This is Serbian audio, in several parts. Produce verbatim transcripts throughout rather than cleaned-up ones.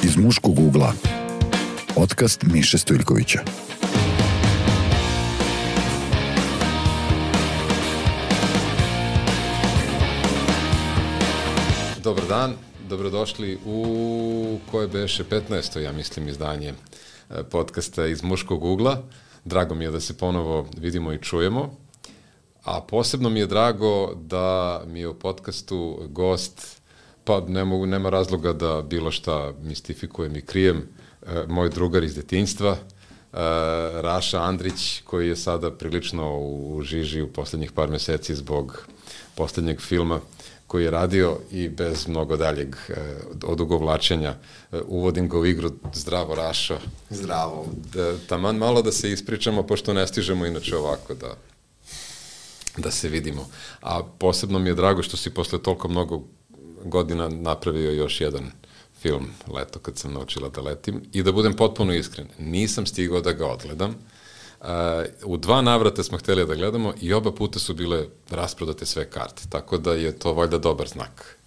Iz muškog ugla. Podcast Miše Stojljkovića. Dobar dan, dobrodošli u koje beše petnaesto, ja mislim, izdanje podcasta Iz muškog ugla. Drago mi je da se ponovo vidimo i čujemo, a posebno mi je drago da mi je u podcastu gost, pa ne mogu, nema razloga da bilo šta mistifikujem i krijem, moj drugar iz detinjstva, Raša Andrić, koji je sada prilično u žiži u poslednjih par meseci zbog poslednjeg filma koji je radio, i bez mnogo daljeg odugovlačenja uvodim ga u igru. Zdravo, Rašo. Zdravo. Da, taman malo da se ispričamo, pošto ne stižemo inače ovako da, da se vidimo. A posebno mi je drago što si posle toliko mnogo godina napravio još jedan film, Leto kad sam naučila da letim, i da budem potpuno iskren, nisam stigao da ga odgledam. Uh, u dva navrata smo hteli da gledamo i oba puta su bile rasprodate sve karte, tako da je to valjda dobar znak.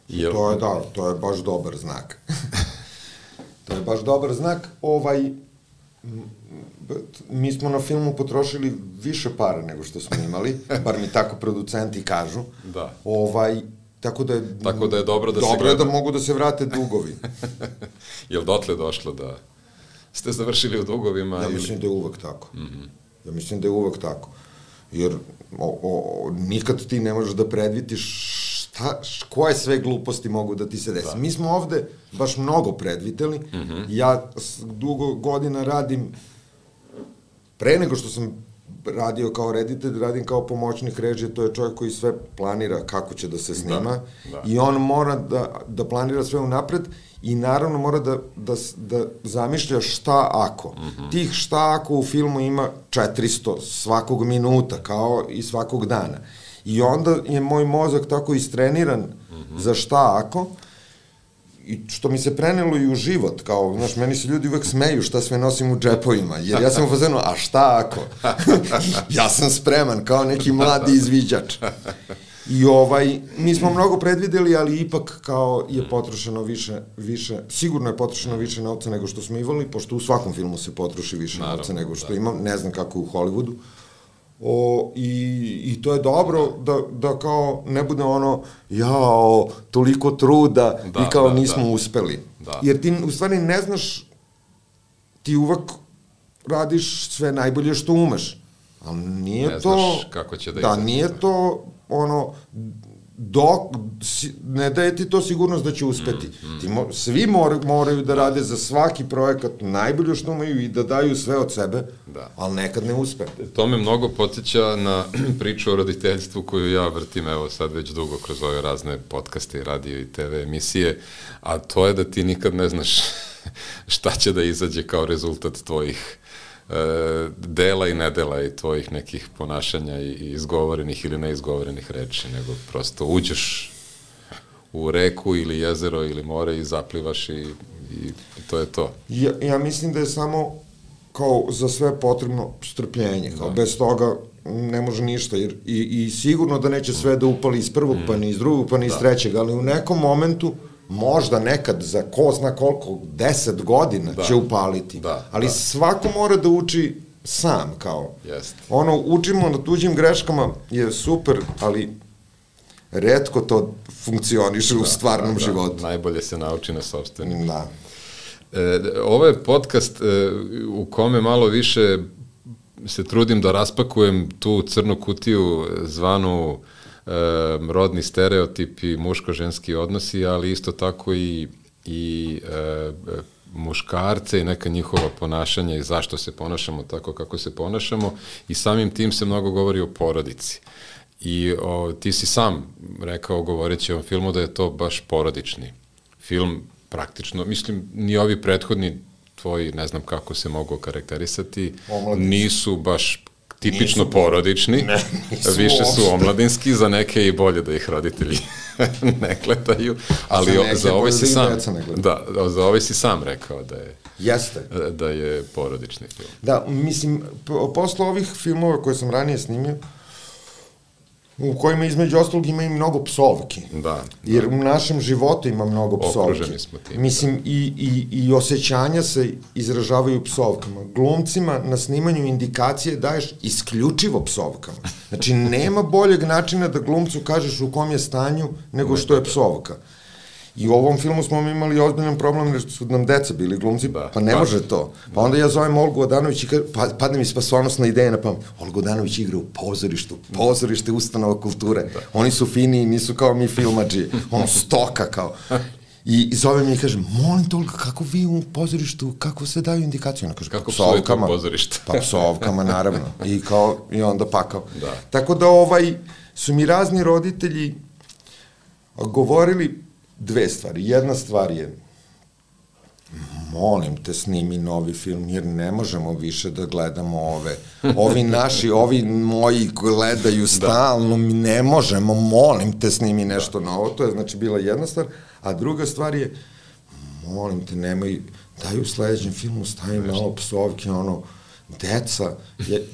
Jel... To je, da, to je baš dobar znak. To je baš dobar znak. Ovaj, mi smo na filmu potrošili više para nego što smo imali, bar mi tako producenti kažu. Da. Ovaj, tako da je, tako da je dobro da dobro se gleda. Dobro je da mogu da se vrate dugovi. Jel dotle došlo da ste završili u dugovima? Ja mislim ili... da je uvek tako. Mm-hmm. Ja mislim da je uvek tako. Jer o, o, nikad ti ne možeš da predvidiš šta, koje sve gluposti mogu da ti se desi. Da. Mi smo ovde baš mnogo predvideli. Mm-hmm. Ja dugo godina radim, pre nego što sam radio kao reditelj, radim kao pomoćnik režije, to je čovjek koji sve planira kako će da se snima, da, da. I on mora da, da planira sve unapred i naravno mora da, da, da zamišlja šta ako. Mm-hmm. Tih šta ako u filmu ima četiristo svakog minuta, kao i svakog dana. I onda je moj mozak tako istreniran mm-hmm. za šta ako, i što mi se prenelo i u život, kao, znaš, meni se ljudi uvek smeju šta sve nosim u džepovima, jer ja sam u fazonu, a šta ako? Ja sam spreman, kao neki mladi izviđač. I ovaj, mi smo mnogo predvideli, ali ipak kao je potrošeno više, više, sigurno je potrošeno više novca nego što smo imali, pošto u svakom filmu se potroši više Naravno, novca nego što da. imam, ne znam kako je u Hollywoodu. O, i, i to je dobro da, da kao ne bude ono jao, toliko truda da, i kao da, nismo da. uspeli. Da. Jer ti u stvari ne znaš, ti uvek radiš sve najbolje što umeš. Ali nije ne to... Ne znaš kako će da Da, izaći. nije to ono... Dok, ne daje ti to sigurnost da će uspeti. Mm, mm. Ti mo, svi mor, moraju da rade za svaki projekat najbolje što imaju i da daju sve od sebe, da. ali nekad ne uspe. To me mnogo podsjeća na priču o roditeljstvu koju ja vrtim, evo sad već dugo kroz ove razne podcaste, radio i te ve emisije, a to je da ti nikad ne znaš šta će da izađe kao rezultat tvojih dela i nedela i tvojih nekih ponašanja i izgovorenih ili neizgovorenih reči, nego prosto uđeš u reku ili jezero ili more i zaplivaš i, i to je to. Ja, ja mislim da je samo kao za sve potrebno strpljenje, kao da. bez toga ne može ništa, jer i, i sigurno da neće sve da upali iz prvog, mm. pa ni iz drugog, pa ni iz da. trećeg, ali u nekom momentu možda nekad za ko zna koliko, deset godina da. će upaliti. Da, ali da. svako mora da uči sam, kao. Jest. Ono, učimo na tuđim greškama je super, ali retko to funkcioniše da, u stvarnom da, životu. Da. Najbolje se nauči na sopstvenim. Da. E, ovo je podcast e, u kome malo više se trudim da raspakujem tu crnu kutiju zvanu Um, rodni stereotipi, muško-ženski odnosi, ali isto tako i, i e, muškarce i neka njihova ponašanja i zašto se ponašamo tako kako se ponašamo, i samim tim se mnogo govori o porodici. I o, ti si sam rekao, govoreći o ovom filmu, da je to baš porodični film, praktično, mislim, ni ovi prethodni tvoji, ne znam kako se mogu karakterisati, Omladinski. nisu baš tipično nisu porodični, ne, više su omladinski, za neke i bolje da ih roditelji ne gledaju, ali za, za ovaj si sam da, za ovaj si sam rekao da je Jeste. da je porodični film. Da, mislim, posle ovih filmova koje sam ranije snimio, u kojima između ostalog ima i mnogo psovki. Da. Jer u našem životu ima mnogo psovki. Okruženi smo tim. Mislim, i, i, i osjećanja se izražavaju psovkama. Glumcima na snimanju indikacije daješ isključivo psovkama. Znači, nema boljeg načina da glumcu kažeš u kom je stanju nego što je psovka. I u ovom filmu smo imali ozbiljan problem jer su nam deca bili glumci, da, pa ne pa, može to. Pa onda ja zovem Olgu Odanović i pa, padne mi spasonosna ideja na pamet. Olgu Odanović igra u pozorištu, pozorište ustanova kulture. Da. Oni su fini, nisu kao mi filmadži, ono stoka kao. I, i zovem i kažem, molim te Olga, kako vi u pozorištu, kako se daju indikacije? Ona kaže, kako psujete u pozorištu? Pa psovkama, naravno. I, kao, i onda pakao. Da. Tako da ovaj, su mi razni roditelji govorili dve stvari. Jedna stvar je, molim te, snimi novi film, jer ne možemo više da gledamo ove. Ovi naši, ovi moji gledaju stalno, mi ne možemo, molim te, snimi nešto novo. To je, znači, bila jedna stvar. A druga stvar je, molim te, nemoj, daj u sledećem filmu stavim malo psovke, ono, deca,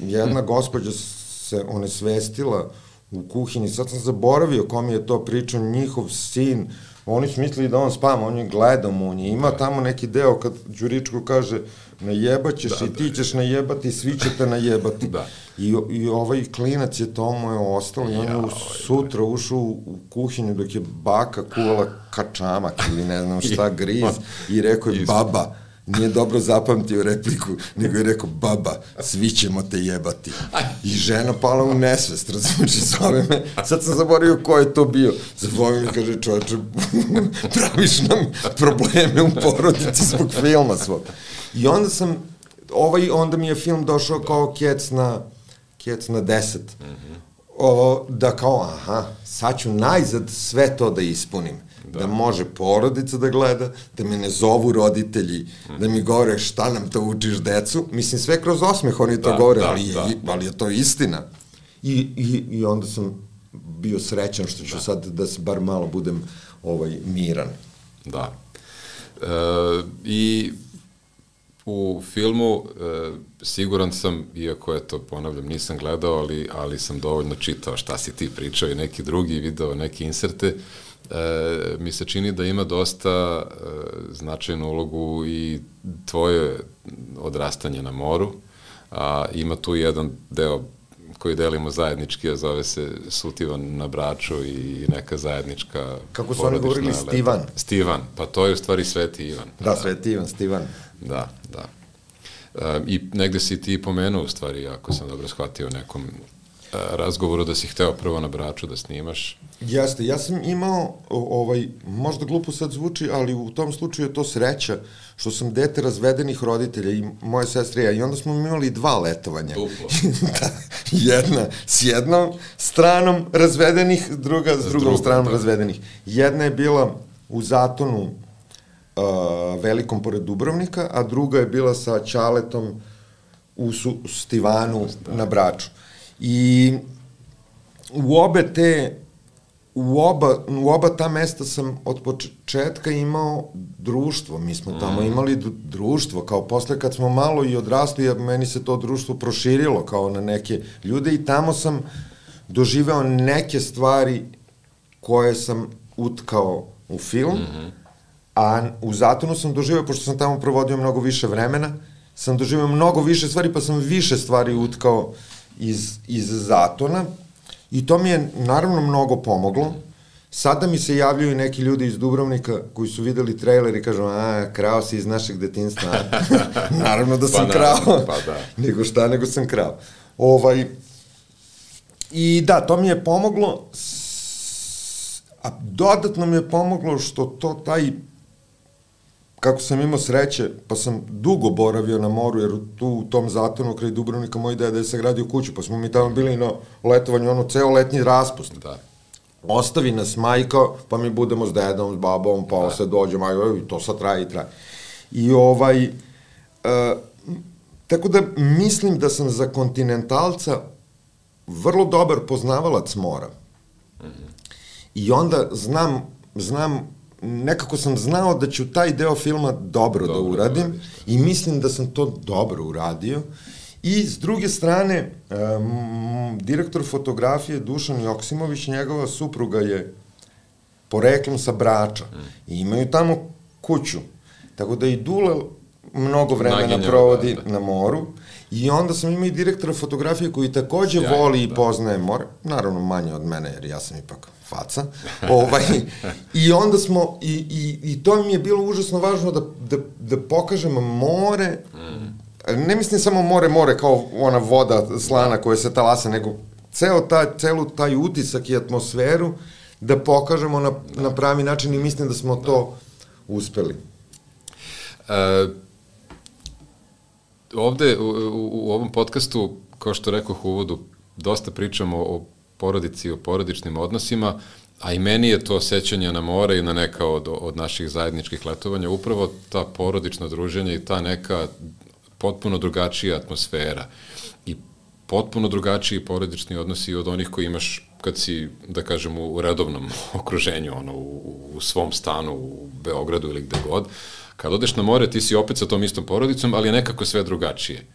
jedna gospođa se onesvestila u kuhinji, sad sam zaboravio kom je to pričao, njihov sin, oni su mislili da on spava, on je gledao, on je ima tamo neki deo kad Đuričko kaže najebaćeš da, i ti ćeš najebati, svi ćete najebati. Da. I, I ovaj klinac je tomu je ostalo i on je sutra ušao u kuhinju dok je baka kuvala kačamak ili ne znam šta, griz i rekao je baba, nije dobro zapamtio repliku, nego je rekao, baba, svi ćemo te jebati. I žena pala u nesvest, razumiješ, zove me, sad sam zaboravio ko je to bio. Zove me, kaže, čovječe, praviš nam probleme u porodici zbog filma svog. I onda sam, ovaj, onda mi je film došao kao kec na, kec na deset. O, da kao, aha, sad ću najzad sve to da ispunim. Da. da može porodica da gleda, da me ne zovu roditelji, mm. da mi govore šta nam to učiš decu. Mislim, sve kroz osmeh oni to da, govore, da, ali, je, da. ali je to istina. I, i, I onda sam bio srećan što ću da. sad da se bar malo budem ovaj, miran. Da. E, I u filmu e, siguran sam, iako je to, ponavljam, nisam gledao, ali, ali sam dovoljno čitao šta si ti pričao i neki drugi video, neke inserte, E, mi se čini da ima dosta e, značajnu ulogu i tvoje odrastanje na moru, a ima tu jedan deo koji delimo zajednički, a zove se Sutivan na Braču i neka zajednička kako su oni govorili, Stivan? Stivan, pa to je u stvari Sveti Ivan. Da, da. Sveti Ivan, Stivan. Da, da. E, I negde si ti pomenuo, u stvari, ako sam dobro shvatio, nekom razgovoru da si hteo prvo na Braču da snimaš. Jeste, ja sam imao, ovaj, možda glupo sad zvuči, ali u tom slučaju je to sreća, što sam dete razvedenih roditelja i moje sestre i ja, i onda smo imali dva letovanja. Duplo. Da, jedna s jednom stranom razvedenih, druga s drugom stranom da. razvedenih. Jedna je bila u Zatonu uh, velikom pored Dubrovnika, a druga je bila sa Ćaletom u Su, Stivanu da. na Braču. I u obe te, u oba, u oba ta mesta sam od početka imao društvo, mi smo tamo mm. imali društvo, kao posle kad smo malo i odrasli, meni se to društvo proširilo kao na neke ljude i tamo sam doživeo neke stvari koje sam utkao u film, mm-hmm. a u Zatonu sam doživeo, pošto sam tamo provodio mnogo više vremena, sam doživeo mnogo više stvari, pa sam više stvari utkao iz, iz Zatona i to mi je naravno mnogo pomoglo. Sada mi se javljaju neki ljudi iz Dubrovnika koji su videli trailer i kažu, a, krao si iz našeg detinjstva. Naravno da sam pa krao. Pa da. Nego šta, nego sam krao. Ovaj, I da, to mi je pomoglo, a dodatno mi je pomoglo što to taj, kako sam imao sreće, pa sam dugo boravio na moru, jer tu u tom Zatonu kraj Dubrovnika moj deda je sagradio kuću, pa smo mi tamo bili na letovanju, ono, ceo letnji raspust. Da. Ostavi nas majka, pa mi budemo s dedom, s babom, pa da. se dođe majka, i to sad traje i traje. I ovaj, uh, tako da mislim da sam za kontinentalca vrlo dobar poznavalac mora. Mm-hmm. I onda znam, znam, nekako sam znao da ću taj deo filma dobro, dobro da uradim i mislim da sam to dobro uradio I s druge strane, um, direktor fotografije Dušan Joksimović, njegova supruga je poreklom sa Brača i imaju tamo kuću. Tako da i Dule mnogo vremena Naginjava, provodi da, da. na moru i onda sam imao i direktora fotografije koji takođe Sjajno, voli i da. poznaje more, naravno manje od mene jer ja sam ipak faca. ovaj, I onda smo, i, i, i to mi je bilo užasno važno da, da, da pokažem more, mm. ne mislim samo more, more kao ona voda slana koja se talasa, nego ceo taj, celu taj utisak i atmosferu da pokažemo na, da. na pravi način i mislim da smo da. to uspeli. E, ovde u, u, u ovom podcastu, kao što rekoh u uvodu, dosta pričamo o porodici, o porodičnim odnosima, a i meni je to sećanje na more i na neka od, od naših zajedničkih letovanja, upravo ta porodična druženja i ta neka potpuno drugačija atmosfera i potpuno drugačiji porodični odnosi od onih koji imaš kad si, da kažem, u redovnom okruženju, ono, u, u svom stanu, u Beogradu ili gde god. Kad odeš na more, ti si opet sa tom istom porodicom, ali je nekako sve drugačije.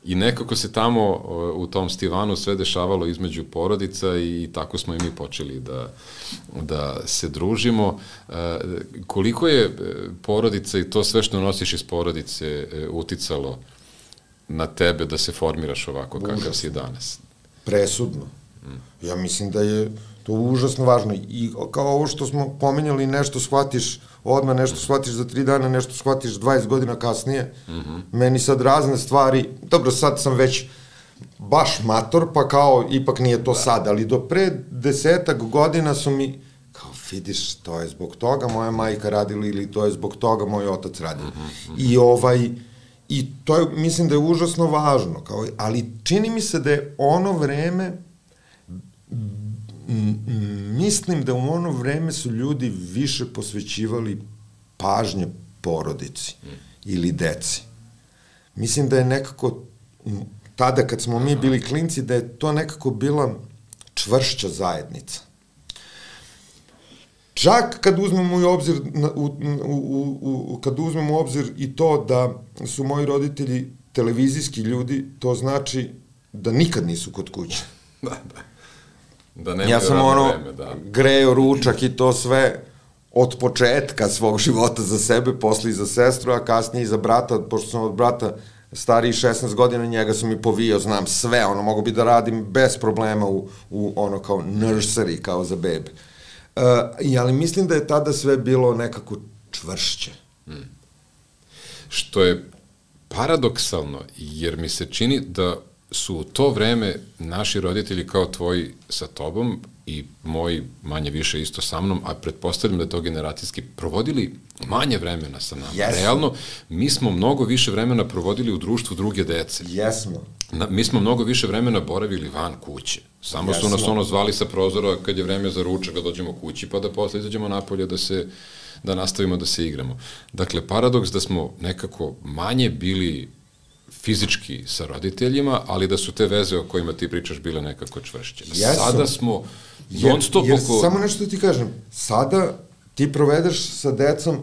I nekako se tamo u tom Stivanu sve dešavalo između porodica i tako smo i mi počeli da, da se družimo. Koliko je porodica i to sve što nosiš iz porodice uticalo na tebe da se formiraš ovako kakav si danas? Presudno. Ja mislim da je to užasno važno i kao ovo što smo pomenjali, nešto shvatiš odmah, nešto shvatiš za tri dana, nešto shvatiš dvadeset godina kasnije. Mm -hmm. Meni sad razne stvari, dobro, sad sam već baš mator, pa kao ipak nije to da. sad, ali do pre desetak godina su mi, kao vidiš, to je zbog toga moja majka radila ili to je zbog toga moj otac radio. Mm -hmm. I ovaj, i to je, mislim da je užasno važno, kao, ali čini mi se da je ono vreme, mislim da u ono vreme su ljudi više posvećivali pažnje porodici mm. ili deci. Mislim da je nekako, tada kad smo mi bili klinci, da je to nekako bila čvršća zajednica. Čak kad uzmemo u obzir, u, u, u, u, kad uzmemo u obzir i to da su moji roditelji televizijski ljudi, to znači da nikad nisu kod kuće. Da, da. Da ja sam ono vreme, da. greo ručak i to sve od početka svog života za sebe, posle i za sestru, a kasnije i za brata, pošto sam od brata stariji šesnaest godina, njega sam i povijao, znam sve, ono, mogu bi da radim bez problema u, u ono kao nursery, kao za bebe. Uh, ali mislim da je tada sve bilo nekako čvršće. Hmm. Što je paradoksalno, jer mi se čini da su u to vreme naši roditelji kao tvoji sa tobom i moji manje više isto sa mnom, a pretpostavljam da je to generacijski, provodili manje vremena sa nama. Jesmo. Realno, mi smo mnogo više vremena provodili u društvu druge dece. Jesmo. Na, mi smo mnogo više vremena boravili van kuće. Samo Jesmo. su nas ono zvali sa prozora kad je vreme za ručak da dođemo kući, pa da posle izađemo napolje da se da nastavimo da se igramo. Dakle, paradoks da smo nekako manje bili fizički sa roditeljima, ali da su te veze o kojima ti pričaš bile nekako čvršće. Jesam. Sada smo non stop jer, oko... Samo nešto ti kažem, sada ti provedeš sa decom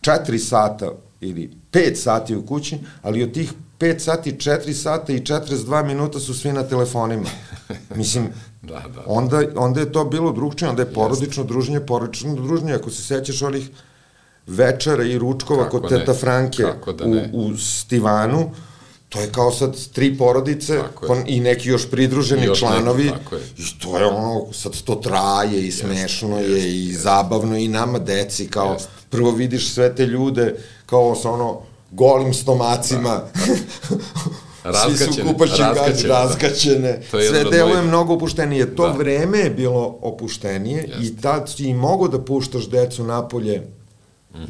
četiri sata ili pet sati u kući, ali od tih pet sati, četiri sata i četrdeset dva minuta su svi na telefonima. Mislim, da, da, da. Onda, onda je to bilo drugčije, onda je porodično druženje, porodično druženje, ako se sećaš onih večera i ručkova kako kod ne? teta Franke u, u Stivanu, to je kao sad tri porodice i neki još pridruženi još članovi neki, i to je ono, sad to traje i smešno jest, je jest, i jest. zabavno i nama deci, kao jest. prvo vidiš sve te ljude kao sa ono golim stomacima, da. svi su kupačim razgaćene, razgaćene. sve deluje mojih... mnogo opuštenije. To da. vreme je bilo opuštenije jest. i tad si i mogo da puštaš decu napolje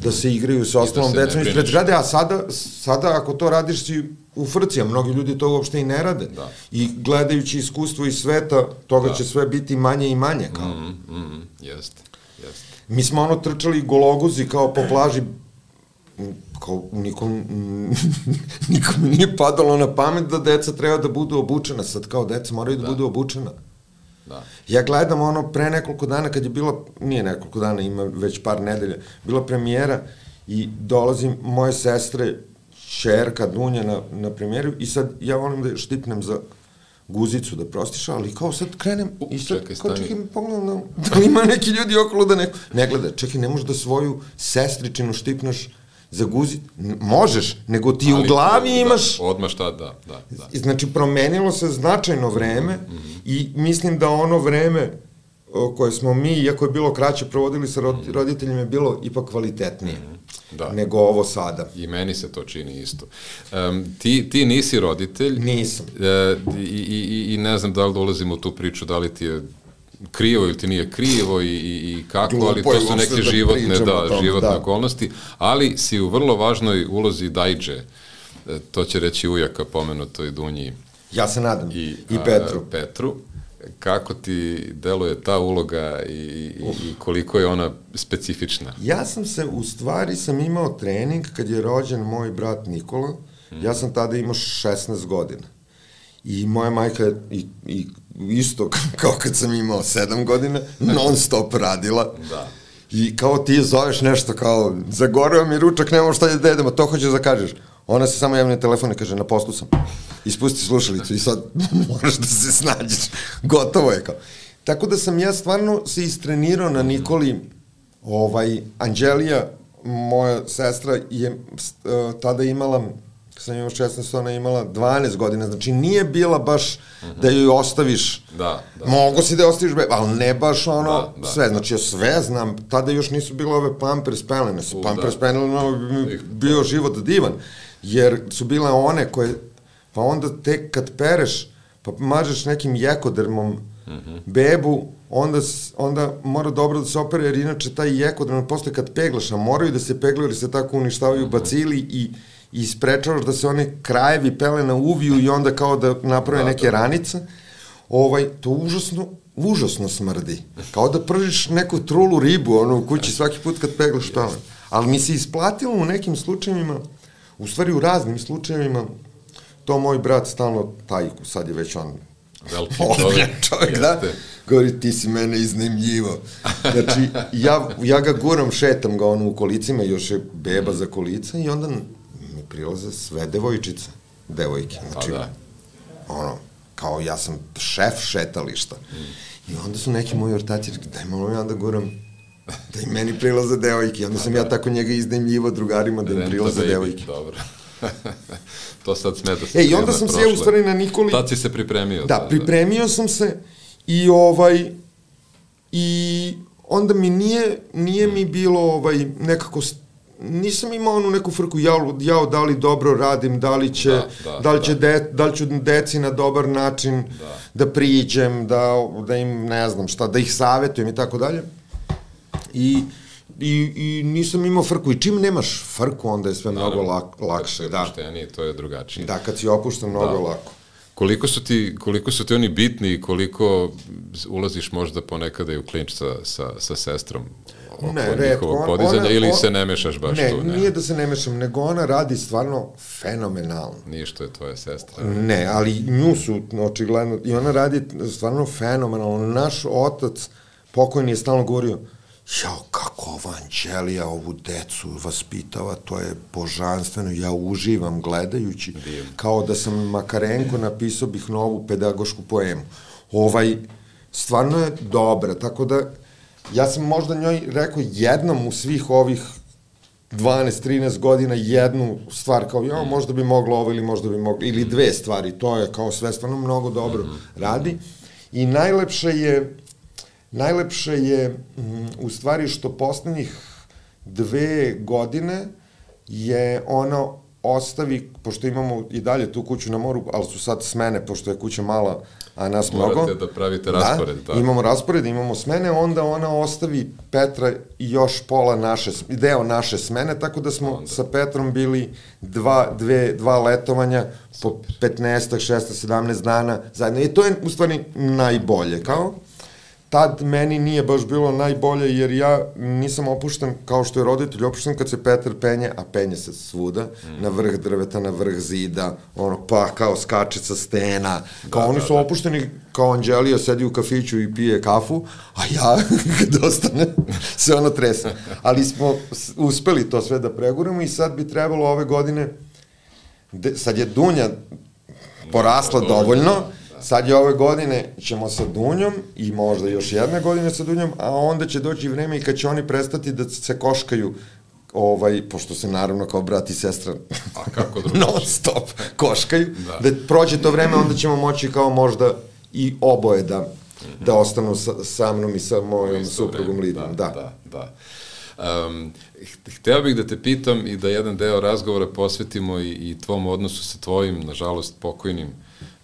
da se igraju sa ostalom da decom ispred zgrade, a sada, sada ako to radiš si u frci, a mnogi ljudi to uopšte i ne rade. Da. I gledajući iskustvo iz sveta, toga da. će sve biti manje i manje. Kao. Mm, mm, jest, jest. Mi smo ono trčali gologuzi kao po plaži, kao nikom, nikom nije padalo na pamet da deca treba da budu obučena. Sad kao deca moraju da, da budu obučena. Da. Ja gledam ono pre nekoliko dana kad je bilo, nije nekoliko dana, ima već par nedelja, bila premijera i dolazim moje sestre, čerka Dunja na, na premijeru i sad ja volim da je štipnem za guzicu da prostiša, ali kao sad krenem U, i sad čekaj, kao stani. čekaj, pogledam da, da li ima neki ljudi okolo da neko, ne gleda, čekaj, ne možeš da svoju sestričinu štipnaš za guzicu, možeš, nego ti ali u glavi da, imaš... Odmah šta, da, da, da. Znači, promenilo se značajno vreme mm -hmm. i mislim da ono vreme koje smo mi, iako je bilo kraće, provodili sa roditeljima, je bilo ipak kvalitetnije da. nego ovo sada. I meni se to čini isto. Um, ti, ti nisi roditelj. Nisam. E, i, i, I ne znam da li dolazimo u tu priču, da li ti je krivo ili ti nije krivo i, i, i kako, Glupo ali to su neke da životne, da, tom, životne da. okolnosti, ali si u vrlo važnoj ulozi Dajđe, e, to će reći ujaka pomenutoj Dunji. Ja se nadam. I, I Petru. A, Petru. Kako ti deluje ta uloga i, i, i koliko je ona specifična? Ja sam se, u stvari sam imao trening kad je rođen moj brat Nikola, hmm. ja sam tada imao šesnaest godina. I moja majka je i, i isto kao kad sam imao sedam godina, non stop radila. Da. I kao ti zoveš nešto kao, zagoreo mi ručak, nemamo šta da jedemo, to hoćeš da kažeš. Ona se samo javlja na telefon i kaže, na poslu sam. Ispusti slušalicu i sad moraš da se snađeš. Gotovo je kao. Tako da sam ja stvarno se istrenirao na Nikoli. Ovaj, Anđelija, moja sestra, je uh, tada imala, kad sam imao šesnaest, ona je imala dvanaest godina, znači nije bila baš uh-huh. da joj ostaviš, da, da. mogo si da je ostaviš, ali ne baš ono da, da, sve, znači ja sve znam, tada još nisu bile ove Pampers pelene, su Pampers da. pelene, bio život divan, jer su bile one koje, pa onda tek kad pereš, pa mažeš nekim jekodermom uh-huh. bebu, onda, onda mora dobro da se opere, jer inače taj jekoderm posle kad peglaš, a moraju da se peglaju, jer se tako uništavaju uh-huh. bacili i i sprečavaš da se one krajevi pelena uviju i onda kao da naprave da, neke da. ranice, ovaj, to užasno, užasno smrdi. Kao da pržiš neku trulu ribu, ono, u kući svaki put kad peglaš pelen. Ali mi se isplatilo u nekim slučajevima, u stvari u raznim slučajevima, to moj brat stalno tajku, sad je već on veliki čovjek, čovjek da, govori, ti si mene iznajmljivo. Znači, ja, ja ga guram, šetam ga ono u kolicima, još je beba za kolica i onda prilaze sve devojčice, devojke. Znači, da. ono, kao ja sam šef šetališta. Mm. I onda su neki moji ortaci rekli, daj malo ja da guram, da i meni prilaze devojke. I onda sam da. ja tako njega iznajmljivo drugarima da im prilaze devojke. Dobro. To sad smeta se. E, i onda sam se ja u stvari na Nikoli... Tad si se pripremio. Da, da pripremio da. sam se i ovaj, i onda mi nije, nije mi bilo ovaj, nekako nisam imao onu neku frku, jao, jao, da li dobro radim, da li će, da, da, da li će da. De, da li ću deci na dobar način da, da priđem, da, da im, ne znam šta, da ih savetujem i tako dalje. I, i, i nisam imao frku. I čim nemaš frku, onda je sve Naravno, mnogo lak, lakše. Kad si opušteniji, to je drugačije. Da, kad si opušten, mnogo da. lako. Koliko su ti, koliko su ti oni bitni i koliko ulaziš možda ponekada i u klinč sa, sa, sa sestrom? Oko ne, njihovog podizanja, ona, ili on, se ne mešaš baš ne, tu? Ne, nije da se ne mešam, nego ona radi stvarno fenomenalno. Nije što je tvoja sestra. Ne, ali nju su očigledno, i ona radi stvarno fenomenalno. Naš otac, pokojni, je stalno govorio, jao, kako ova Anđelija ovu decu vaspitava, to je božanstveno, ja uživam gledajući, Dijem. kao da sam Makarenko, napisao bih novu pedagošku poemu. Ovaj, stvarno je dobra, tako da ja sam možda njoj rekao jednom u svih ovih dvanaest trinaest godina jednu stvar, kao ja, možda bi moglo ovo ili možda bi moglo, ili dve stvari, to je kao sve stvarno mnogo dobro radi. I najlepše je, najlepše je m, u stvari što poslednjih dve godine je ono ostavi, pošto imamo i dalje tu kuću na moru, ali su sad smene, pošto je kuća mala, a nas mnogo. Morate da pravite raspored. Da, da, imamo raspored, imamo smene, onda ona ostavi Petra i još pola naše, deo naše smene, tako da smo onda sa Petrom bili dva, dve, dva letovanja po petnaest, šesnaest, sedamnaest dana zajedno. I to je u stvari najbolje, kao? Tad meni nije baš bilo najbolje, jer ja nisam opušten, kao što je roditelj opušten kad se Petar penje, a penje se svuda, mm. na vrh drveta, na vrh zida, ono, pa kao skače sa stena, kao da, oni da, su da. opušteni, kao Anđelija sedi u kafiću i pije kafu, a ja, kad ostane, se ono trese. Ali smo uspeli to sve da preguramo i sad bi trebalo ove godine de, sad je Dunja porasla dovoljno, sad je ove godine ćemo sa Dunjom i možda još jedne godine sa Dunjom, a onda će doći vreme i kad će oni prestati da se koškaju, ovaj, pošto se naravno kao brat i sestra a kako drugačije non stop koškaju, da. da prođe to vreme, onda ćemo moći kao možda i oboje da, mm-hmm. da ostanu sa, sa mnom i sa mojom suprugom Lidijom. Da, da, da. da. Um, hteo bih da te pitam i da jedan deo razgovora posvetimo i, i tvom odnosu sa tvojim, nažalost, pokojnim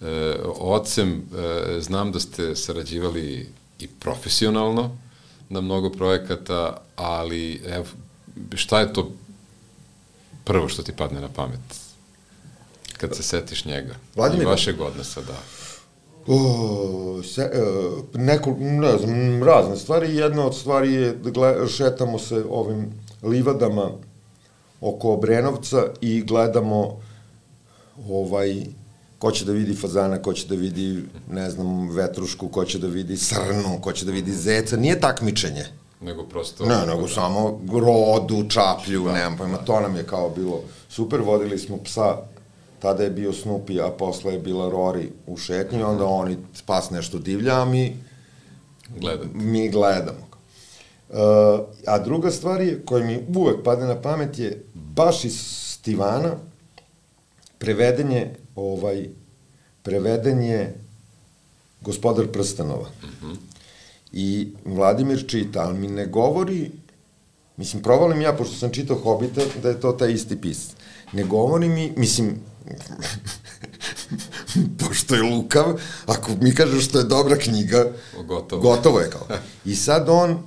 e, ocem. E, znam da ste sarađivali i profesionalno na mnogo projekata, ali evo, šta je to prvo što ti padne na pamet kad se setiš njega? Vladimir? I vašeg odnosa, da. O, se, neko, ne znam, razne stvari. Jedna od stvari je da gled, šetamo se ovim livadama oko Obrenovca i gledamo ovaj, ko će da vidi fazana, ko će da vidi, ne znam, vetrušku, ko će da vidi srnu, ko će da vidi zeca. Nije takmičenje. Nego prosto... Ne, nego samo rodu, čaplju, da, nemam pojma. To nam je kao bilo super. Vodili smo psa, tada je bio Snoopy, a posle je bila Rory u šetnji, onda oni spas nešto divlja, a mi Gledate. mi gledamo. Uh, a druga stvar je, koja mi uvek padne na pamet je, baš iz Stivana, preveden je, ovaj, preveden je Gospodar prstenova. Mhm. I Vladimir čita, ali mi ne govori, mislim, provalim ja, pošto sam čitao Hobita, da je to taj isti pisac. Ne govori mi, mislim, pošto je lukav, ako mi kaže što je dobra knjiga, gotovo, gotovo je kao. I sad on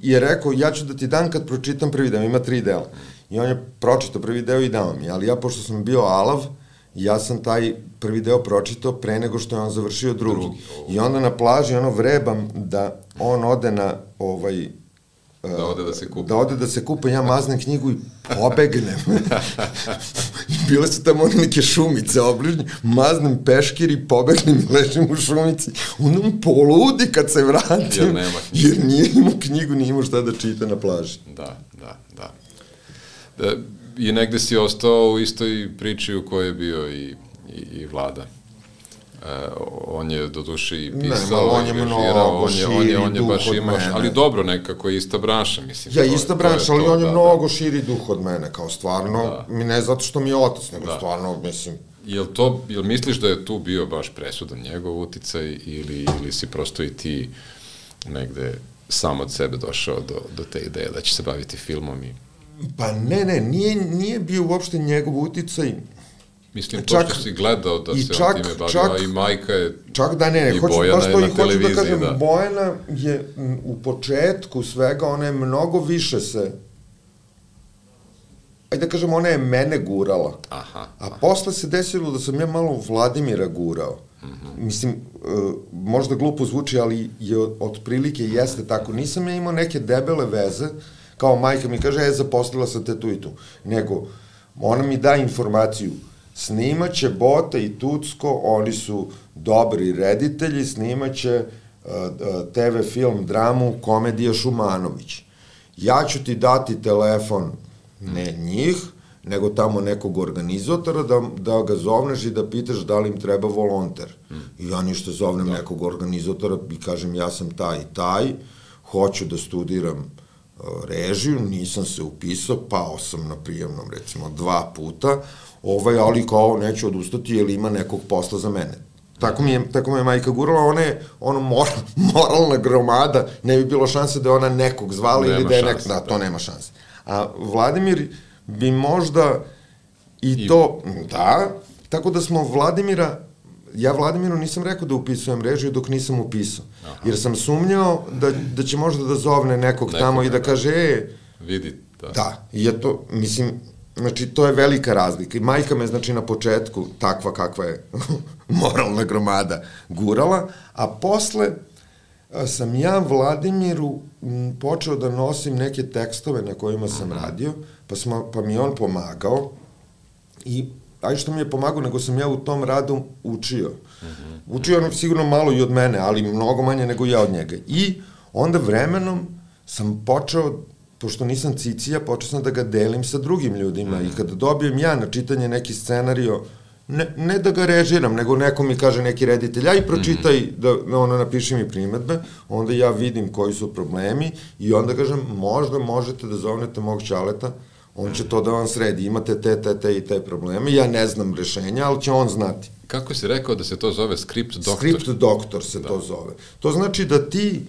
je rekao, ja ću da ti dam kad pročitam prvi deo, ima tri dela. I on je pročitao prvi deo i dao mi, ali ja, pošto sam bio alav, ja sam taj prvi deo pročitao pre nego što je on završio drugi. drugi. I onda na plaži ono vrebam da on ode na ovaj... Da ode da se kupa. Da ode da se kupa, ja maznem knjigu i pobegnem. I bile su tamo neke šumice obližnje, maznem peškir i pobegnem i ležim u šumici. On poludi kad se vratim. Jer nema knjigu. Jer nije imao knjigu, nije imao šta da čita na plaži. Da, da, da. da I negde si ostao u istoj priči u kojoj je bio i, i, i Vlada. E, on je do duše i pisao, ne, on je mnogo on je, on je, on je duh baš od imao, mene. Ali dobro, nekako je ista branša, mislim. Ja, to, ista branša, ali to, on je da, mnogo da. širi duh od mene, kao stvarno, Da. mi ne zato što mi je otac, nego Da. stvarno, mislim... Jel to, jel misliš da je tu bio baš presudan njegov uticaj ili, ili si prosto i ti negde sam od sebe došao do, do te ideje da će se baviti filmom i... Pa ne, ne, nije, nije bio uopšte njegov uticaj. Mislim, Čak- pošto si gledao da i se čak- on time bavio, čak- a i majka je... Čak da ne, ne, I hoću, Bojana baš je to i na hoću da televiziji, kažem, da. Bojana je m, u početku svega, ona je mnogo više se, ajde da kažem, ona je mene gurala. Aha. A posle se desilo da sam ja malo Vladimira gurao. Mm-hmm. Mislim, uh, možda glupo zvuči, ali je otprilike jeste tako. Nisam ja imao neke debele veze, kao majka mi kaže, e, zaposlila sam te tu i tu. Nego, ona mi da informaciju, snimaće Bota i Tucko, oni su dobri reditelji, snimaće uh, te ve film, dramu, komedija Šumanović. Ja ću ti dati telefon, ne njih, nego tamo nekog organizatora, da, da ga zovneš i da pitaš da li im treba volonter. Mm. I ja ništa zovnem da. nekog organizatora i kažem, ja sam taj i taj, hoću da studiram uh, režiju, nisam se upisao, pao sam na prijemnom, recimo, dva puta, ovaj, ali kao neću odustati jer ima nekog posla za mene. Tako mi je, tako mi je majka gurala, ona je ono mor, moralna gromada, ne bi bilo šanse da je ona nekog zvala nema ili da je nek... Da, to nema šanse. A Vladimir bi možda i, I to, da, tako da smo Vladimira, ja Vladimiru nisam rekao da upisujem režiju dok nisam upisao, aha, jer sam sumnjao da, da će možda da zovne nekog, nekog tamo i da kaže, e, vidi, da. Da, i je to, mislim, znači, to je velika razlika. I majka me, znači, na početku, takva kakva je moralna gromada, gurala, a posle a, sam ja Vladimiru m, počeo da nosim neke tekstove na kojima sam mm-hmm. radio, pa, smo, pa mi je on pomagao i, aj što mi je pomagao, nego sam ja u tom radu učio. Mm-hmm. Učio on sigurno malo i od mene, ali mnogo manje nego ja od njega. I onda vremenom sam počeo pošto nisam cicija, počeo sam da ga delim sa drugim ljudima mm. i kada dobijem ja na čitanje neki scenario, ne, ne da ga režiram, nego neko mi kaže neki reditelj, aj pročitaj, mm. da, da ono napiši mi primetbe, onda ja vidim koji su problemi i onda kažem, možda možete da zovnete mog čaleta, on će to da vam sredi, imate te, te, te i te probleme, ja ne znam rešenja, ali će on znati. Kako si rekao da se to zove script doktor? Script doktor se da. to zove. To znači da ti,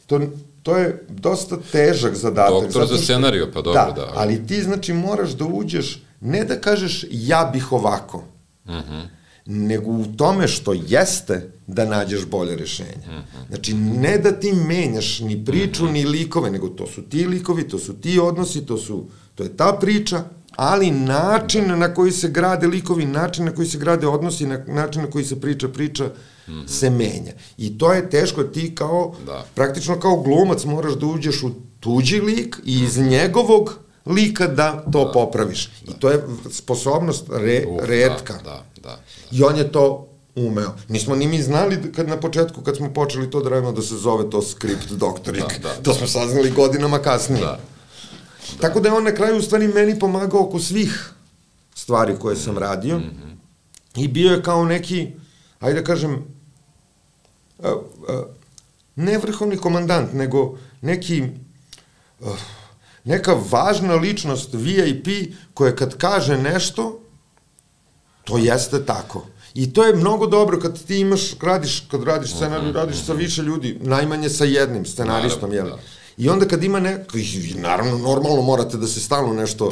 to, to je dosta težak zadatak. Doktor za scenariju, pa dobro, da. Da, ali ti znači moraš da uđeš, ne da kažeš ja bih ovako, uh-huh. nego u tome što jeste da nađeš bolje rešenje. Uh-huh. Znači, ne da ti menjaš ni priču, uh-huh. ni likove, nego to su ti likovi, to su ti odnosi, to su, to je ta priča, ali način da. na koji se grade likovi, način na koji se grade odnosi, na, način na koji se priča priča, mm-hmm. se menja. I to je teško, ti kao, da. praktično kao glumac moraš da uđeš u tuđi lik i iz njegovog lika da to da. popraviš. Da. I to je sposobnost re, Uf, retka. Da, da, da, da. I on je to umeo. Nismo ni mi znali kad na početku, kad smo počeli to da radimo, da se zove to script doktorik. Da, da, to da. smo saznali godinama kasnije. Da. Da. Tako da je on na kraju u stvari meni pomagao oko svih stvari koje sam radio mm-hmm. i bio je kao neki, ajde da kažem, uh, uh, ne vrhovni komandant, nego neki, uh, neka važna ličnost V I P koja kad kaže nešto, to jeste tako. I to je mnogo dobro kad ti imaš, radiš, kad radiš scenariju, mm-hmm. radiš sa više ljudi, najmanje sa jednim scenaristom, jel? Da. I onda kad ima neko, naravno, normalno morate da se stalno nešto,